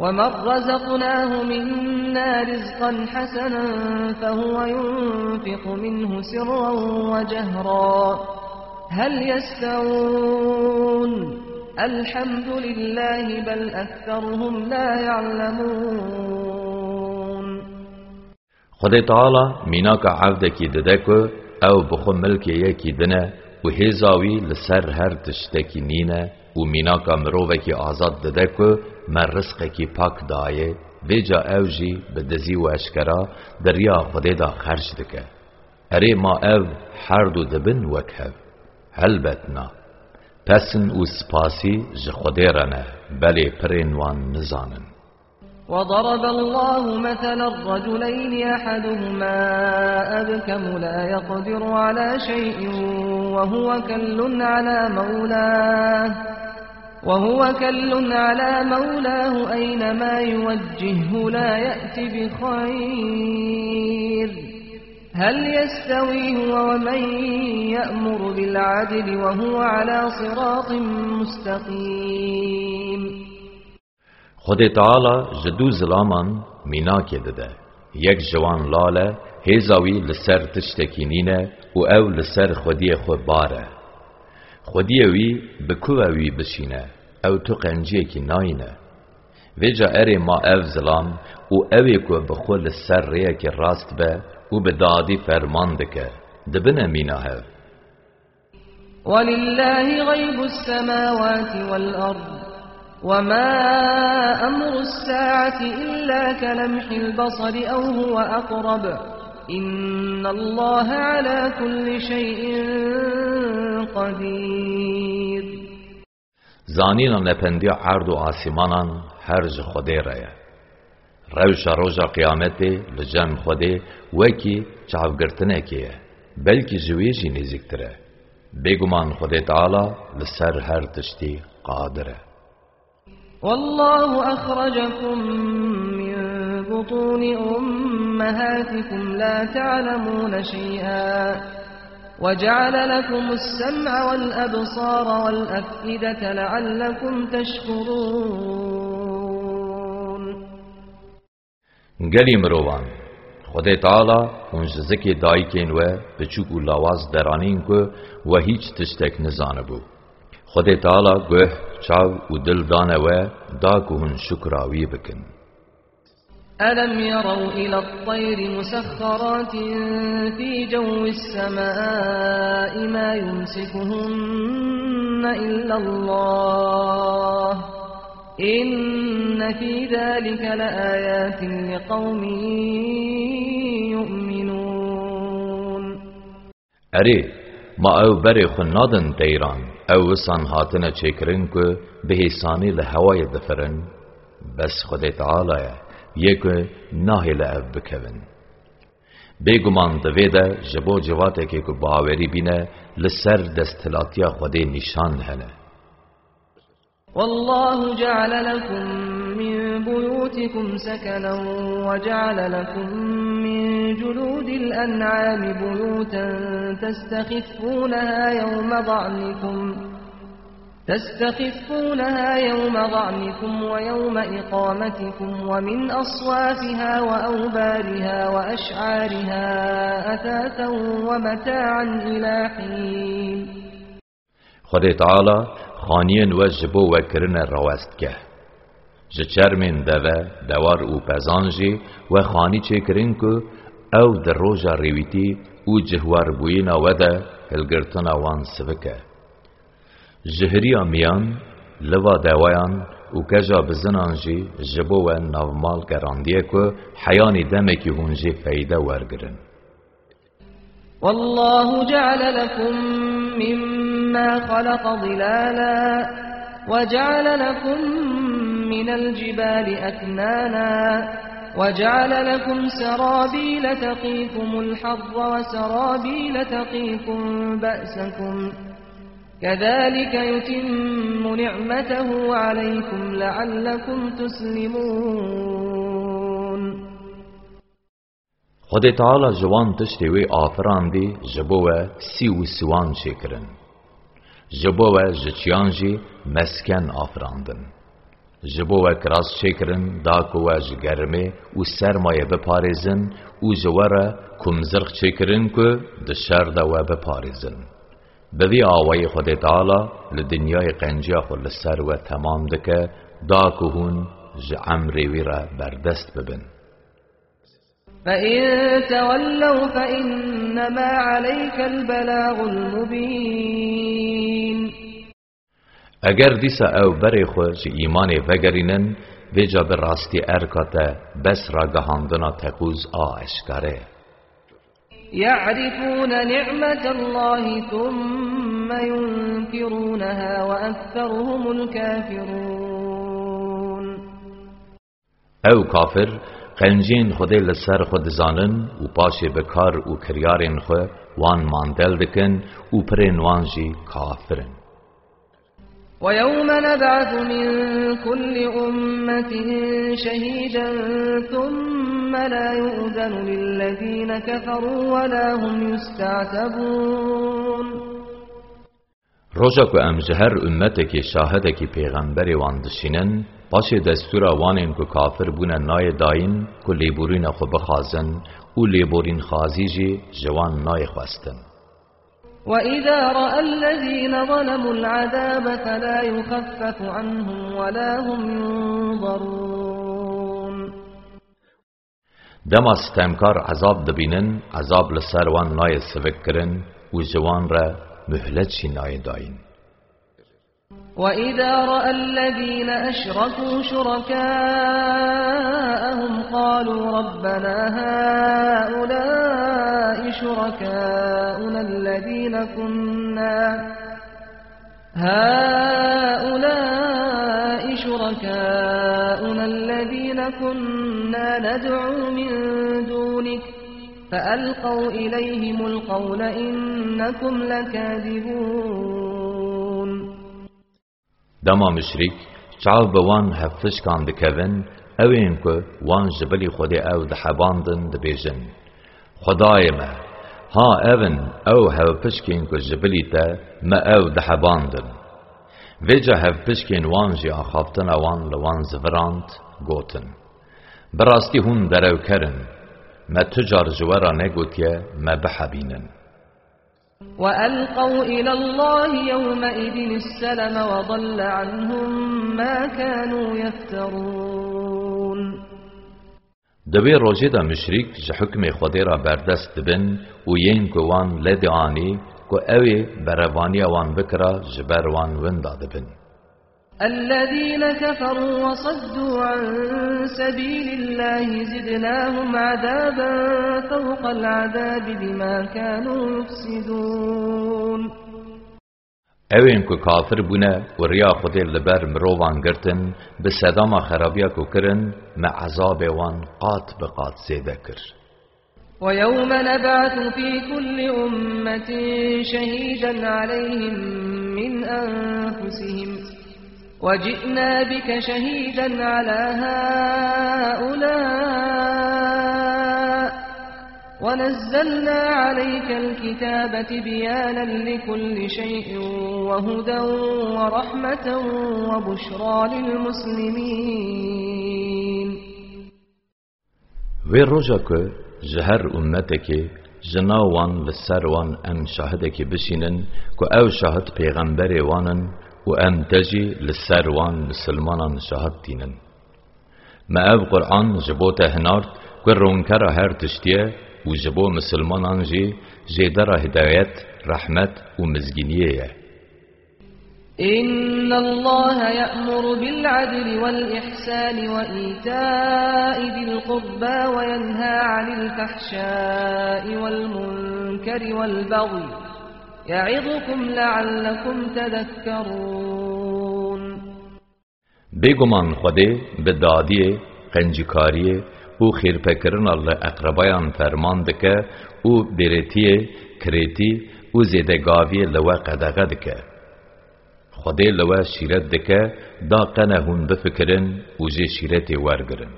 ومن رزقناه منا رزقا حسنا فهو ينفق منه سرا وجهرا هل يستوون الحمد لله بل أكثرهم لا يعلمون. Xwedê Teala mînaka evdekî dide ku ew bi xwe milkê yekî din e û hêza wî li ser her tiştekî nîne û mînaka mirovekî azad dide ku me rizqekî pak daye, vêca ew jî bi dizî û eşkera di riya Xwedê de xerc dike. Erê ma ev her du dibin wek hev? Helbet na. Pesn û spasî ji Xwedê re ne, belê pirên wan nizanin. وضرب الله مثلا رجلين أحدهما أبكم لا يقدر على شيء وهو كل على مولاه وهو كل على مولاه أينما يوجهه لا يأت بخير هل يستوي هو ومن يأمر بالعدل وهو على صراط مستقيم. Xwedê Teala ji du zilaman mînakê dide. Yek ji wan lal e, hêza wî li ser tiştekî nîne û ew li ser xwediyê xwe bar e. Xwediyê wî bi ku ve wî bişîne, ew tu qenciyekî nayîne. Vêca erê ma ev zilam û ew ê ku bi xwe li ser rêyekê rast be û bi dadî ferman dike, dibine mîna hev. ولله غيب السماوات والأرض وما أمر الساعة إلا كلمح البصر أو هو أقرب إن الله على كل شيء قدير. Zanîna nependiya erd û asîmanan her ji Xwedê re ye. Rewşa roja qiyametê li cem Xwedê wekî çavgirtinekê ye, belkî ji wê jî nêzîktir e. Bêguman Xwedê Teala li ser her tiştî qadir e. والله أخرجكم من بطون أمهاتكم لا تعلمون شيئا وجعل لكم السمع والأبصار والأفئدة لعلكم تشكرون. Gelî mirovan, Xwedê Teala hûn ji zikê dayikên we biçûk û lawaz deranîn ku we hîç tiştek nizanibû. Xwedê Teala guh, çav û dil dane we, da ku hûn şukra wî bikin. ألم يروا إلى الطير مسخرات في جو السماء ما يمسكهن إلا الله إن في ذلك لآيات لقوم يؤمنون. Erê, ma ew berê xwe nadin teyran, ew wisan hatine çêkirin ku bi hêsanî li hewayê difirin? Bes Xwedê Teala ye, yê ku nahêle ev bikevin. Bêguman di vê de ji bo civatekê ku bawerî bîne, li ser desthilatiya Xwedê nîşan hene. والله جعل لكم من بيوتكم سكنا وجعل لكم من جلود الأنعام بيوتا تستخفونها يوم ظعنكم تستخفونها يوم ظعنكم ويوم إقامتكم ومن أصوافها وأوبارها وأشعارها أثاثا ومتاعا إلى حين. Xwedê Teala xaniyên we ji bo we kirine rawestgeh. Ji çermên deve, dewar û pezan jî we xanî çêkirin ku ew di roja rêwîtî û cihwarbûyîna we de hilgirtina wan sivik e. Ji hiriya miyan, liva dewayan û keja bizinan jî ji bo we navmal gerandiye ku heyanî demekî hûn jê feyde wergirin. والله جعل لكم مما خلق ظلالا وجعل لكم من الجبال أكنانا وجعل لكم سرابيل تقيكم الحر وسرابيل تقيكم بأسكم كذلك يتم نعمته عليكم لعلكم تسلمون. Xwedê Teala ji wan tiştê wê afirandî ji bo we sî û siwan çêkirin. Ji bo we ji çiyan jî mesken afirandin. Ji bo we kiras çêkirin, da ku we ji germê û sermayê biparêzin û ji we re kumzirx çêkirin ku di şer de we biparêzin. Bi vî awayî Xwedê Teala li dinyayê qenciya xwe li ser we temam dike, da ku hûn ji emrê wî re berdest bibin. فإن تولوا فإنما عليك البلاغ المبين. Eger dîsa ew berê xwe ji îmanê vegerînin, vêca bi rastî erka te bes ragihandina teqûz a eşkare ye. يعرفون نعمة الله ثم ينكرونها وأكثرهم الكافرون. Ew kafir qenciyên Xwedê li ser xwe dizanin û paşê bi kar û kiryarên xwe wan mandel dikin û pirên wan jî kafir in. ويوم نبعث من كل أمة شهيدا ثم لا يؤذن للذين كفروا ولا هم يستعتبون. Roja ku em ji her ummetekê şahidekî pêxemberê wan dişînin, paşê destûra wanên ku kafir bûne nayê dayîn ku lêborîna xwe bixwazin û lêborînxwazî jî ji wan nayê xwestin. وإذا رأى الذين ظلموا العذاب فلا يخفف عنهم ولا هم ينظرون. Dema stemkar ezab dibînin, ezab li ser wan nayê sivikkirin û ji wan re muhlet jî nayê dayîn. وإذا رأى الذين أشركوا شركاءهم قالوا ربنا هؤلاء شركاؤنا الذين كنا، هؤلاء شركاؤنا الذين كنا ندعو من دونك فألقوا إليهم القول إنكم لكاذبون. Dema muşrîk çav bi wan hevpişkan dikevin, ew ên ku wan ji bilî Xwedê ew dihebandin, dibêjin: Xwedayê me, ha ev in ew hevpişkên ku ji bilî te me ew dihebandin. Vêca hevpişkên wan jî axaftina wan li wan zivirand, gotin: Bi rastî hûn derewker in, me tu car ji we re negotiye me bihebînin. وألقوا إلى الله يومئذ السلم وضل عنهم ما كانوا يفترون. Di wê rojê de muşrîk ji hukmê Xwedê re berdest dibin û yên ku wan lê dianî ku ew ê berevaniya wan bikira, ji ber wan winda dibin. الذين كفروا وصدوا عن سبيل الله زدناهم عذابا فوق العذاب بما كانوا يفسدون. Ew ên ku kafir bûne û riya Xwedê li ber mirovan girtin, bi sedama xerabiya ku kirin, me ezabê wan qat bi qat zêde kir. ويوم نبعث في كل أمة شهيدا عليهم من أنفسهم وجئنا بك شهيدا على هؤلاء ونزلنا عليك الكتاب تبيانا لكل شيء وهدى ورحمة وبشرى للمسلمين. Wê roja ku ji her ummetekê ji nav wan li ser wan em şahidekê bişînin ku ew şahid pêxemberê wan in û em te jî li ser wan misilmanan şahid tînin. Me ev Quran ji bo te hinard ku ronkera her tiştî ye û ji bo misilmanan jî jêdera hidayet, rehmet û mizgîniyê ye. إن الله يأمر بالعدل والإحسان وإيتاء ذي القربى وينهى عن الفحشاء والمنكر والبغي يعظكم لعلكم تذكرون. Bêguman Xwedê bi dadiyê, qencîkariyê û xêrpêkirina li eqrebayan ferman dike û bêrêtiyê, kirêtî û zêdegaviyê li we qedexe dike. Xwedê li we şîret dike, da qene hûn bifikirin û jê şîretê wergirin.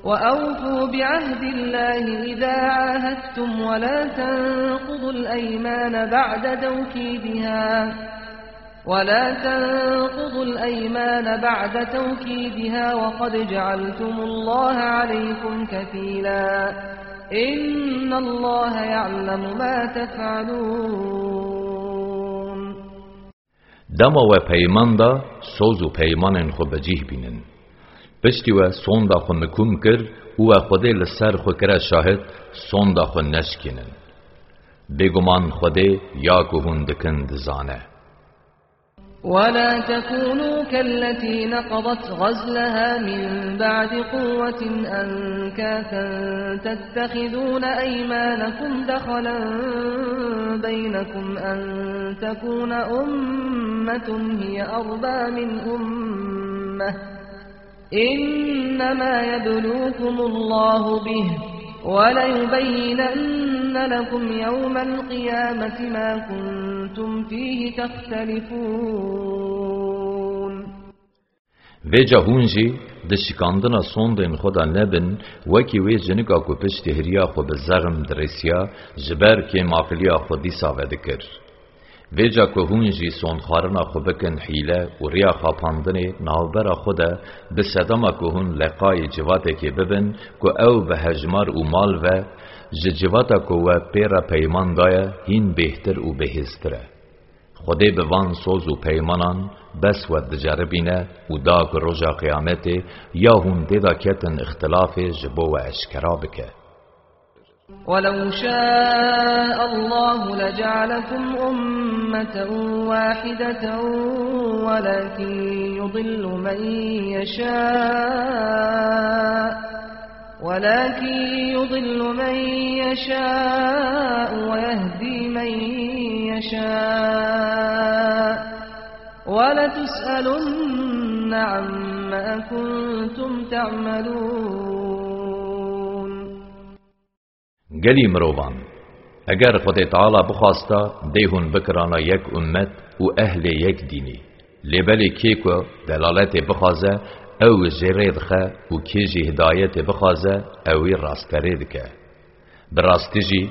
وأوفوا بعهد الله إذا عاهدتم ولا تنقضوا الأيمان بعد توكيدها، ولا تنقضوا الأيمان بعد توكيدها وقد جعلتم الله عليكم كفيلا، إن الله يعلم ما تفعلون. Dema we peyman da, soz û peymanên xwe bi cih bînin. Piştî we sonda xwe mikum kir û we Xwedê li ser xwe kire şahid, sonda xwe neşkînin. Bêguman Xwedê ya ku hûn dikin dizane. ولا تكونوا كالتي نقضت غزلها من بعد قوة أنكاثا تتخذون أيمانكم دخلا بينكم أن تكون أمة هي أربى من أمة إنما يبلوكم الله به وليبينن لكم يوم القيامة ما كنتم فيه تختلفون. Vêca hûn jî di şikandina sondên xwe de nebin, wekî wê jinika ku piştî hiriya xwe bi zexm dirêsiya, ji ber kêmaqiliya xwe dîsa vedikir. Vêca ku hûn jî sondxwarina xwe bikin hîle û riya xapandinê navbera xwe de, bi sedema ku hûn leqayî civatekê bibin ku ew bi hejmar û mal ve ji civata ku we pê re peyman daye hîn bêhtir û bihêztir e. Xwedê bi van soz û peymanan bes we diceribîne û da ku roja qiyametê ya hûn tê de ketin îxtilafê ji bo we eşkera bike. ولو شاء الله لجعلكم أمة واحدة ولكن يضل من يشاء ولكن يضل من يشاء ويهدي من يشاء ولتسألن عما كنتم تعملون. Gelî mirovan, eger Xwedê Teala bixwasta, dê hûn bikirana yek ummet û ehlê yek dînî. Lê belê kê ku delaletê bixwaze, ew jê rê dixe û kê jî hidayetê bixwaze, ew wî rasterê dike. Bi rastî jî,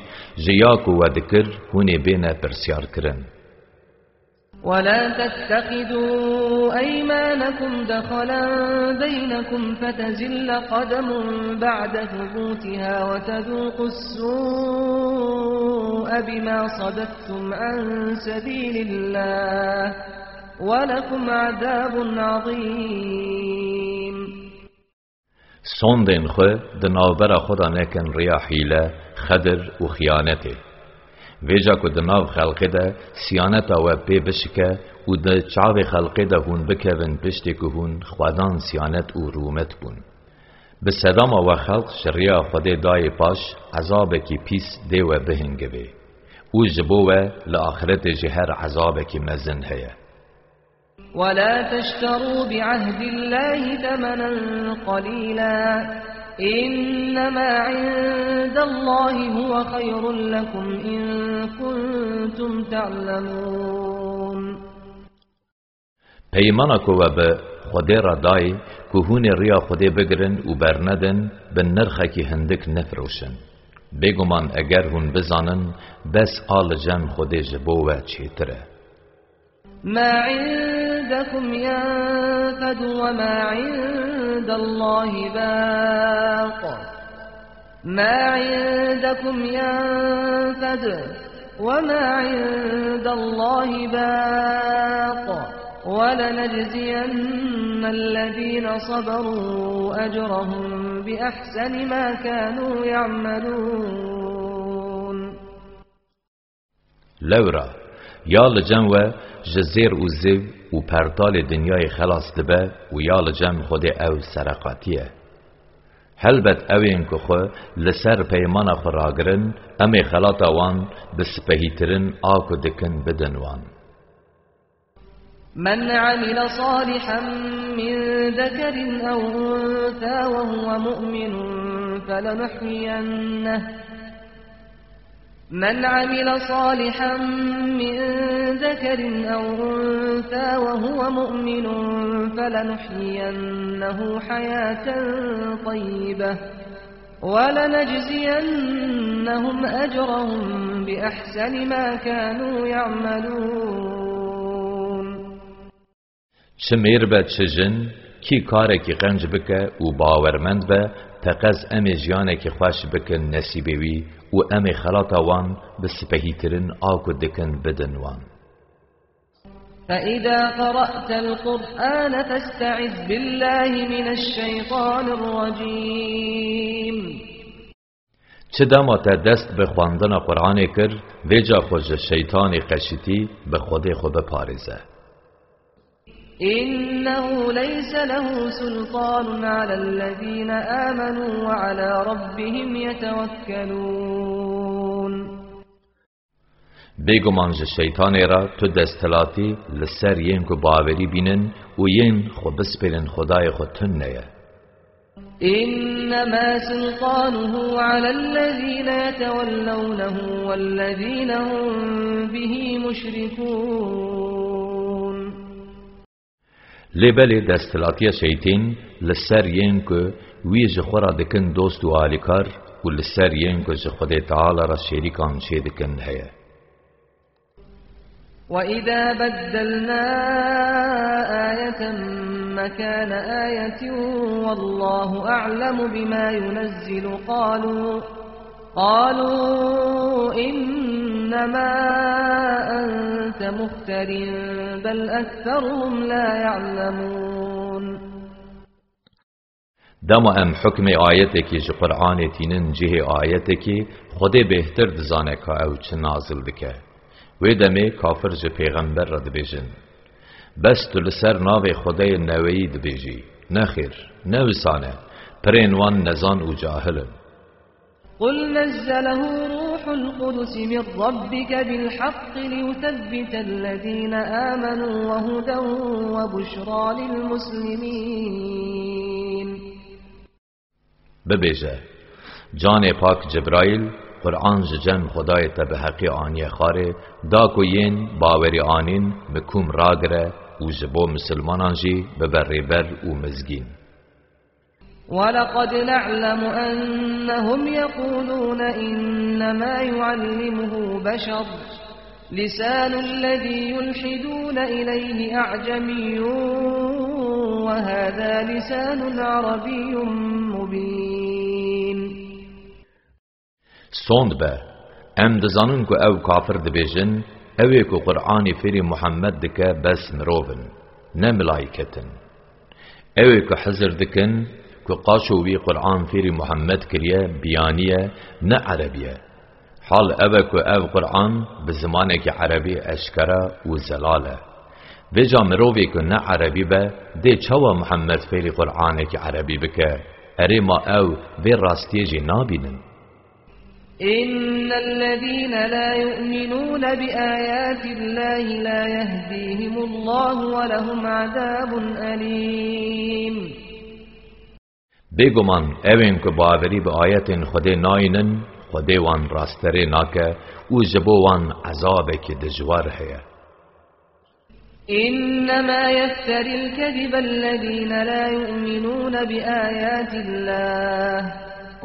ji ya ku we dikir, hûn ê bêne pirsyarkirin. ولا تتخذوا أيمانكم دخلا بينكم فتزل قدم بعد ثبوتها وتذوقوا السوء بما صددتم عن سبيل الله ولكم عذاب عظيم. Sondên xwe di navbera xwe de nekin riya hîle, xedir û xiyanetê. Vêca ku di nav xelqê de siyaneta we pê bişike û di çavê xelqê de hûn bikevin piştê ku hûn xwedan siyanet û rûmet bûn. Bi sedema we xelq ji riya Xwedê dayê paş, ezabekî pîs dê we bihingivê. Û ji bo we li axretê jî her ezabekî mezin heye. ولا تشتروا بعهد الله ثمنا قليلا إنما عند الله هو خير لكم إن كنتم تعلمون. Peymana ku we bi Xwedê re dayî, ku hûn ê riya Xwedê bigirin û bernedin, bi nirxekî hindik nefiroşin. Bêguman eger hûn bizanin, bes a li cem Xwedê ji bo we çêtir e. ما عندكم ينفد وما عند الله باق. ما عندكم ينفد وما عند الله باق. ولنجزين الذين صبروا أجرهم بأحسن ما كانوا يعملون. Lewra, ya li cem we ji zêr û zêv û pertalê dinyayê xelas dibe û ya li cem Xwedê ew sereqatî ye. Helbet ew ên ku xwe li ser peymana xwe ragirin, em ê xelata wan bi sipehîtirin a ku dikin bidin wan. من عمل صالحا من ذكر أو أنثى وهو مؤمن فلنحيينه، من عمل صالحا من ذكر أو أنثى وهو مؤمن فلنحيينه حياة طيبة ولنجزينهم أجرهم بأحسن ما كانوا يعملون. Çi mêr be, çi jin, kî karekî qenc bike û bawermend be, teqez em ê jiyanekî xweş bikin nesîbê wî û em ê xelata wan bi sipehîtirin a ku dikin bidin wan. فإذا قرأت القرآن فاستعذ بالله من الشيطان الرجيم. Çi dema te dest bi xwendina Qur'anê kir, vêca xwe ji şeytanê qeşitî, bi Xwedê xwe biparêze. إنه ليس له سلطان على الذين آمنوا وعلى ربهم يتوكلون. Bêguman ji şeytanê re tu desthilatî li ser yên ku bawerî bînin û yên xwe bispêrin Xwedayê xwe tune ye. إنما سلطانه على الذين يتولونه والذين هم به مشركون. Lê belê desthilatiya şeytên li ser yên ku wî ji xwe re dikin dost û alîkar û li ser yên ku ji Xwedê Teala re şêrîkan çê dikin heye. وإذا بدلنا آية مكان آية والله أعلم بما ينزل قالوا، قالوا إنما أنت مفتر بل أكثرهم لا يعلمون. Dema em hukmê ayetekî ji Qur'anê tînin cihê ayetekî, Xwedê bêhtir dizane ka ew çi nazil dike. Wê demê kafir ji pêxember re dibêjin, bes tu li ser navê Xwedeyê neweyî dibêjî. Nexêr, ne wisan e. Pirên wan nezan û cahil in. قل نزله روح القدس من ربك بالحق ليثبت الذين آمنوا وهدى وبشرى للمسلمين. Bibêje, Canê Pak Cibraîl, Quran ji cem Xwedayê te bi heqî aniye xwarê, da ku yên bawerî anîn bi kûm ragire û ji bo misilmanan jî bibe rêber û mizgîn. ولقد نعلم أنهم يقولون إنما يعلمه بشر، لسان الذي يلحدون إليه أعجمي وهذا لسان عربي مبين. Sond be, em dizanin ku ew kafir dibêjin, ew ê ku Qur'anê fêrî Muhammed dike bes mirov in, ne milayket in. Ew ê ku hizir dikin ku qaşo wî Qur'an fêrî Muhammed kiriye, biyaniye, ne erebî ye. Hal ev e ku ev Qur'an bi zimanekî erebî eşkera û zelal e. Vêca mirovê ku ne erebî be, dê çawa Muhammed fêrî Qur'anekî erebî bike? Erê ma ew vê rastiyê jî nabînin? إن الذين لا يؤمنون بآيات الله لا يهديهم الله ولهم عذاب أليم. Bêguman, ewên ku bawerî bi ayetên Xwedê nayînin, Xwedê wan rasterê nake û ji bo wan ezabekî dijwar heye. إنما يفتري الكذب الذين لا يؤمنون بآيات الله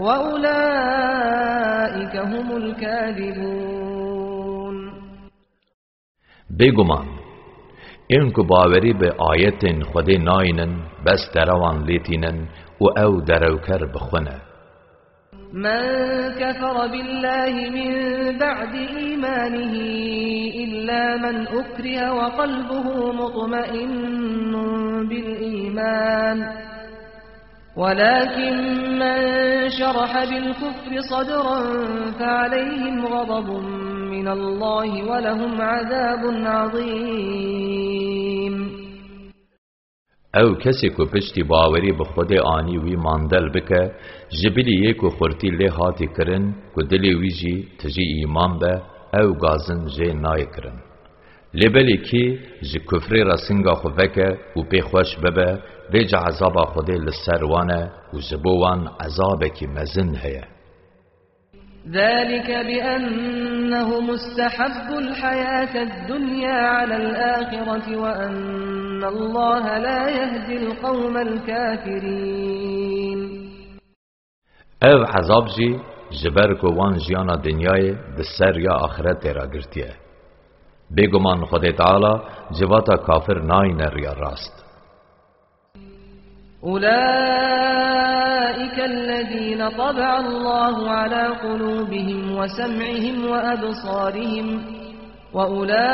وأولئك هم الكاذبون. Bêguman, ên ku bawerî bi ayetên Xwedê nayînin, bes derewan lê tînin û ew derewker bi xwe ne. من كفر بالله من بعد إيمانه إلا من أكره وقلبه مطمئن بالإيمان، ولكن من شرح بالكفر صدرا فعليهم غضب من الله ولهم عذاب عظيم. Ew kesê ku piştî bawerî bi Xwedê anî wî mandel bike, ji bilî yê ku xurtî lê hatî kirin, ku dilê wî jî tijî îman be, ew gazin jê nayê kirin. Lê belê kî ji kufrê re singa xwe veke û pê xweş bibe, vêca ezaba Xwedê li ser wan e û ji bo wan ezabekî mezin heye. ذلك بأنهم استحبوا الحياة الدنيا على الآخرة وأن الله لا يهدي القوم الكافرين. Ev ezab jî ji ber ku wan jiyana dinyayê di ser ya axiretê re girtiye. Bêguman Xwedê Teala civata kafir nayîne riya rast. أولئك الذين طبع الله على قلوبهم وسمعهم وأبصارهم وأولئك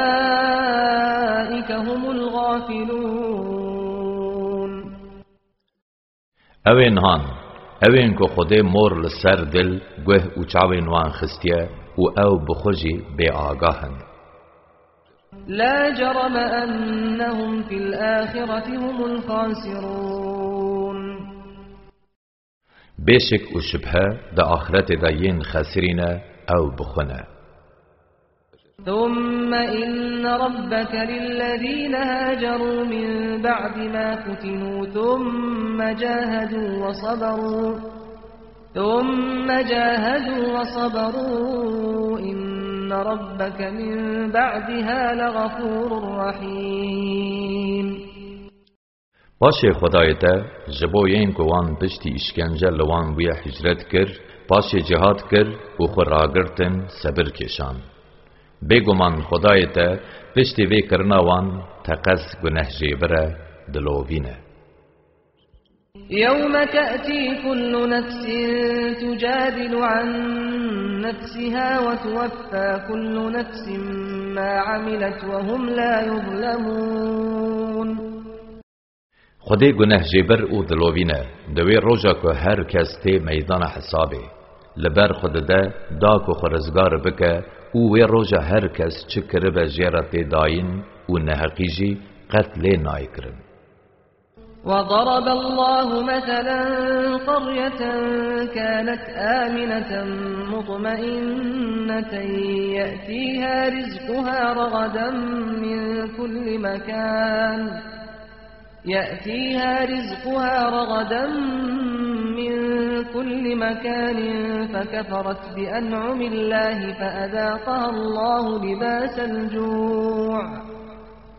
هم الغافلون. Ew ên han, ew ên ku Xwedê mor li ser dil, guh û çavên wan xistiye û ew bi xwe jî bêagah in. لا جرم أنهم في الآخرة هم الخاسرون. Bêşik û şibhe di axiretê de yên xesirî ne, ew bi xwe ne. ثم إن ربك للذين هاجروا من بعد ما فتنوا ثم جاهدوا وصبروا ثم جاهدوا وصبروا إن ربك من بعدها لغفور رحيم. Paşê Xwedayê te ji bo yên ku wan piştî îşkence li wan bûye hicret kir, paşê cihad kir û xwe ragirtin, sebir kêşan. Bêguman Xwedayê te piştî vê kirina wan teqez gunehjêbir e, dilovîne. يوم تأتي كل نفس تجادل عن نفسها وتوفى كل نفس ما عملت وهم لا يظلمون. Xwedê gunehjêbir û dilovîne, di wê roja ku her kes tê meydana hesabê, li ber xwe dide da ku xwe rizgar bike û wê roja her kes çi kiribe jê re tê dayîn û neheqî jî qet lê nayê kirin. وضرب الله مثلا قرية كانت آمنة مطمئنة يأتيها رزقها رغدا من كل مكان، يأتيها رزقها رغدا من كل مكان فكفرت بأنعم الله فأذاقها الله لباس الجوع،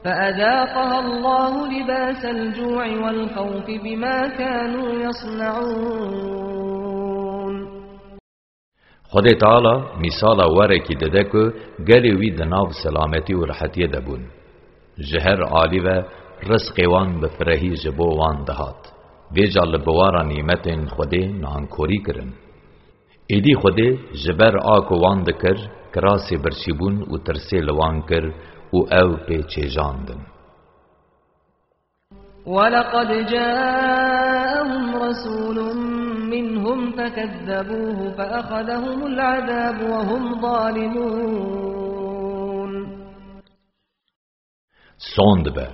فأذاقها الله لباس الجوع والخوف بما كانوا يصنعون. Xwedê Teala mîsala werekî dide ku gelê wî di nav selametî û rehetiyê de bûn. Ji her alî ve rizqê wan bi firehî ji bo wan dihat. Vêca li biwara nîmetên Xwedê nankorî kirin. Êdî Xwedê ji ber a ku wan dikir, kirasê birçîbûn û tirsê li wan kir û ew pê çêjandin. ولقد جاءهم رسول منهم فكذبوه فأخذهم العذاب وهم ظالمون. Sond be.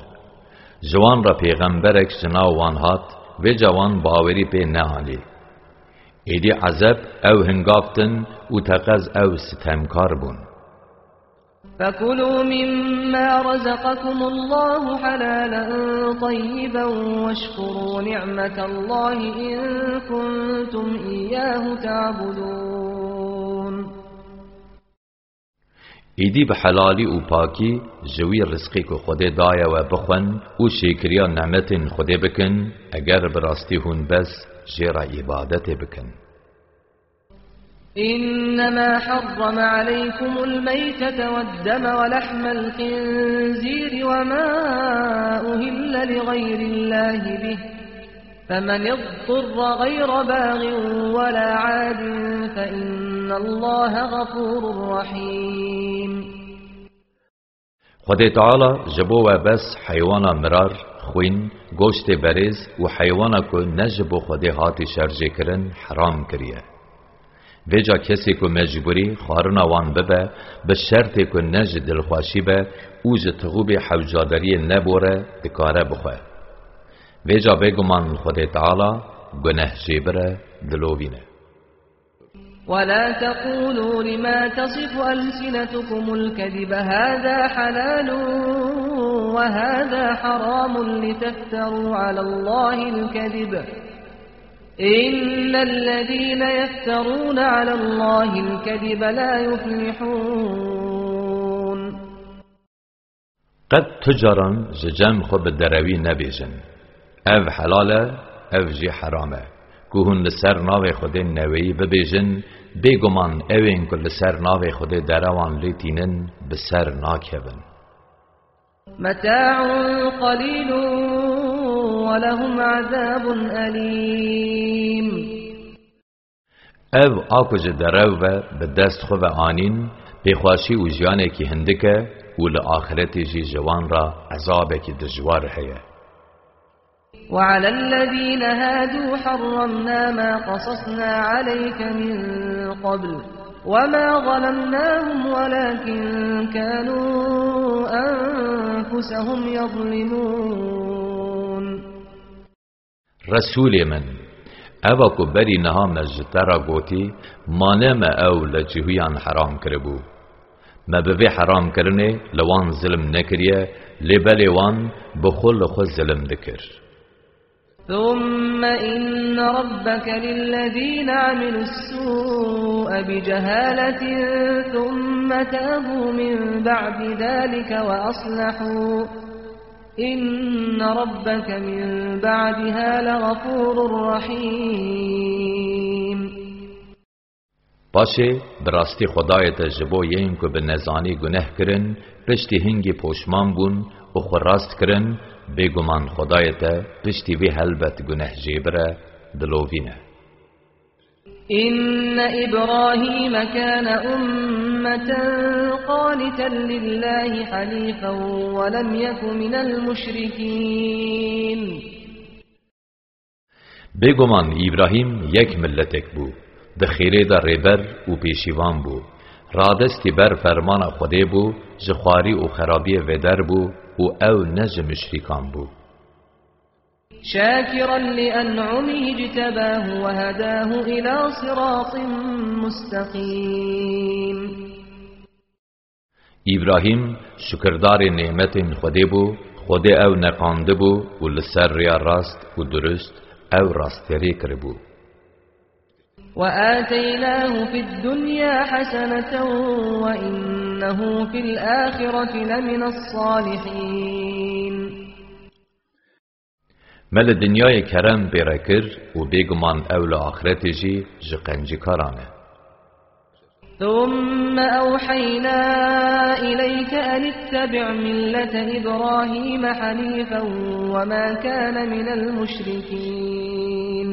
Ji wan re pêxemberek ji nav wan hat, vêca wan bawerî pê neanî. Êdî ezeb ew hingavtin û teqez ew sitemkar bûn. فكلوا مما رزقكم الله حلالا طيبا واشكروا نعمة الله إن كنتم إياه تعبدون. Êdî bi helalî û pakî ji wî rizqî ku Xwedê daye we bixwin û şêkiriya nemetên Xwedê bikin, eger bi rastî hûn bes jê re îbadetê bikin. إنما حرم عليكم الميتة والدم ولحم الخنزير وما أهل لغير الله به، فمن اضطر غير باغ ولا عاد فإن الله غفور رحيم. Xwedê Teala ji bo we bes heywana mirar, xwîn, goştê berêz û heywana ku ne ji bo Xwedê hatî şerjêkirin heram kiriye. Vêca kesê ku mecbûrî xwarina wan bibe, bi şertê ku ne ji dilxweşî be û ji tixûbê hewcadariyê nebore, dikare bixwe. Vêca bêguman Xwedê Teala gunehjêbir e, dilovîn e. ولا تقولوا لما تصف ألسنتكم الكذب هذا حلال وهذا حرام لتفتروا على الله الكذب، إن الذين يفترون على الله الكذب لا يفلحون. Qet tu caran ji cem xwe bi derewî nebêjin, "Ev helal e, ev jî heram e." Ku hûn li ser navê Xwedê neweyî bibêjin, bêguman ewên ku li ser navê Xwedê derewan lê tînin, bi ser nakevin. متاع قليل ولهم عذاب أليم. Ev a ku ji derew ve bi dest xwe ve anîn, pêxweşî û jiyanekî hindik e û li axiretê jî ji wan re ezabekî dijwar heye. وعلى الذين هادوا حرمنا ما قصصنا عليك من قبل وما ظلمناهم ولكن كانوا أنفسهم يظلمون. Resûlê min, eva ku berî niha me ji te re gotî, ma ne me ew li cihûyan heram kiribû. Me bi vê heramkirinê li wan zilm nekiriye, lê belê wan bi xwe li xwe zilm dikir. ثم إن ربك للذين عملوا السوء بجهالة ثم تابوا من بعد ذلك وأصلحوا إن ربك من بعدها لغفور رحيم. Paşê, bi rastî Xwedayê te ji bo yên ku bi nezanî guneh kirin, piştî hingî poşman bûn û xwe rast kirin, bêguman Xwedayê te piştî vê helbet gunehjêbir e, dilovîne. إن إبراهيم كان أمة قانتا لله حنيفا ولم يك من المشركين. Bêguman Îbrahîm yek miletek bû, di xêrê de rêber û pêşîvan bû. Radestî ber fermana Xwedê bû, ji xwarî û xerabiyê vêder bû û ew ne ji muşrîkan bû. شاكرا لأنعمه اجتباه وهداه إلى صراط مستقيم. Îbrahîm şukirdarê nêmetên Xwedê bû, Xwedê ew neqandibû û li ser rêya rast û durust ew rasterê kiribû. وآتيناه في الدنيا حسنة وإنه في الآخرة لمن الصالحين. Me li dinyayê kerem pê re kir û bêguman ew li axretê jî ji qencîkaran e. ثم أوحينا إليك أن اتبع ملة إبراهيم حنيفا وما كان من المشركين.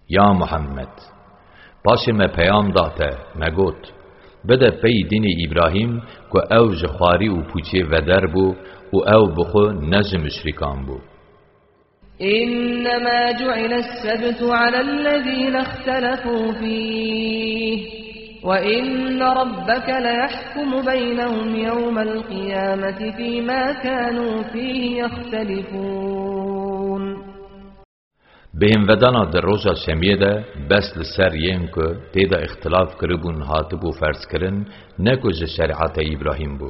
Ya Muhammed, paşê me peyam da te, me got, bide pey dînê Îbrahîm ku ew ji xwarî û pûçê veder bû û ew bi xwe ne ji muşrîkan bû. إنما جعل السبت على الذين اختلفوا فيه وإن ربك ليحكم بينهم يوم القيامة فيما كانوا فيه يختلفون. Bêhnvedana di roja şemiyê de bes li ser yên ku tê de îxtilaf kiribûn hatibû ferzkirin, ne ku ji şerîeta Îbrahîm bû.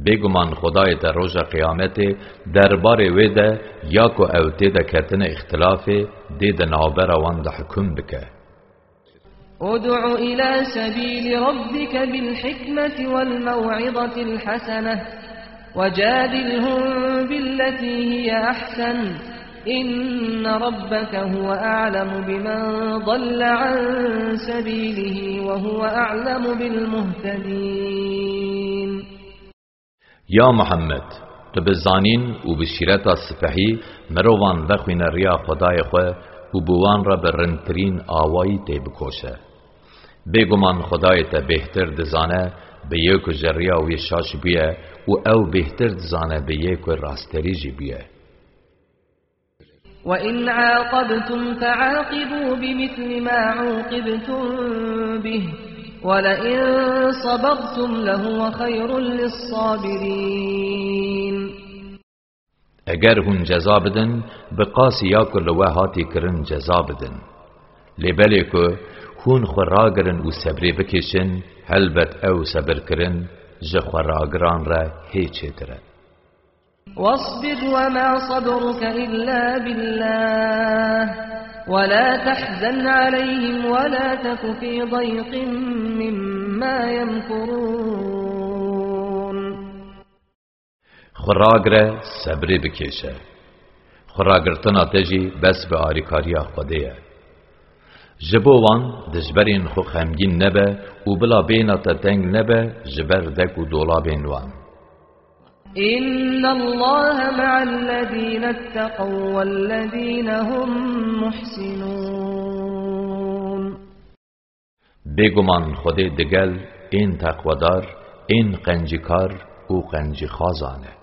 Bêguman Xwedayê te roja Qiyametê derbarê wê de ya ku ew tê de ketine îxtilafê, dê di navbera wan de hukm bike. ادع إلى سبيل ربك بالحكمة والموعظة الحسنة وجادلهم بالتي هي أحسن إن ربك هو أعلم بمن ضل عن سبيله وهو أعلم بالمهتدين. Ya Muhammed, tu bi zanîn û bi şîreta sipehî mirovan vexwîne riya Xwedayê xwe û bi wan re bi rindtirîn awayî tê bikoşe. Bêguman Xwedayê te bêhtir dizane bi yê ku ji riya wê şaş bûye û ew bêhtir dizane bi yê ku rasterî jî bûye. وإن عاقبتم فعاقبوا بمثل ما عوقبتم به ولئن صبرتم لهو خير للصابرين. Eger hûn ceza bidin, bi qasî ya ku li we hatî kirin ceza bidin. Lê belê ku hûn xwe ragirin û sebrê bikêşin, helbet ew sebirkirin ji xwe ragiran re hê çêtir e. واصبر وما صبرك إلا بالله ولا تحزن عليهم ولا تك في ضيق مما يمكرون. Xwe ragire, sebrê bikêşe. Xwe ragirtina te jî bes bi alîkariya Xwedê ye. Ji bo wan dijberên xwe xemgîn nebe û bila bêhna te teng nebe ji ber dek û dolabên wan. إن الله مع الذين اتقوا والذين هم محسنون. Bêguman Xwedê digel ên teqwedar, ên qencîkar û qencîxwazan e.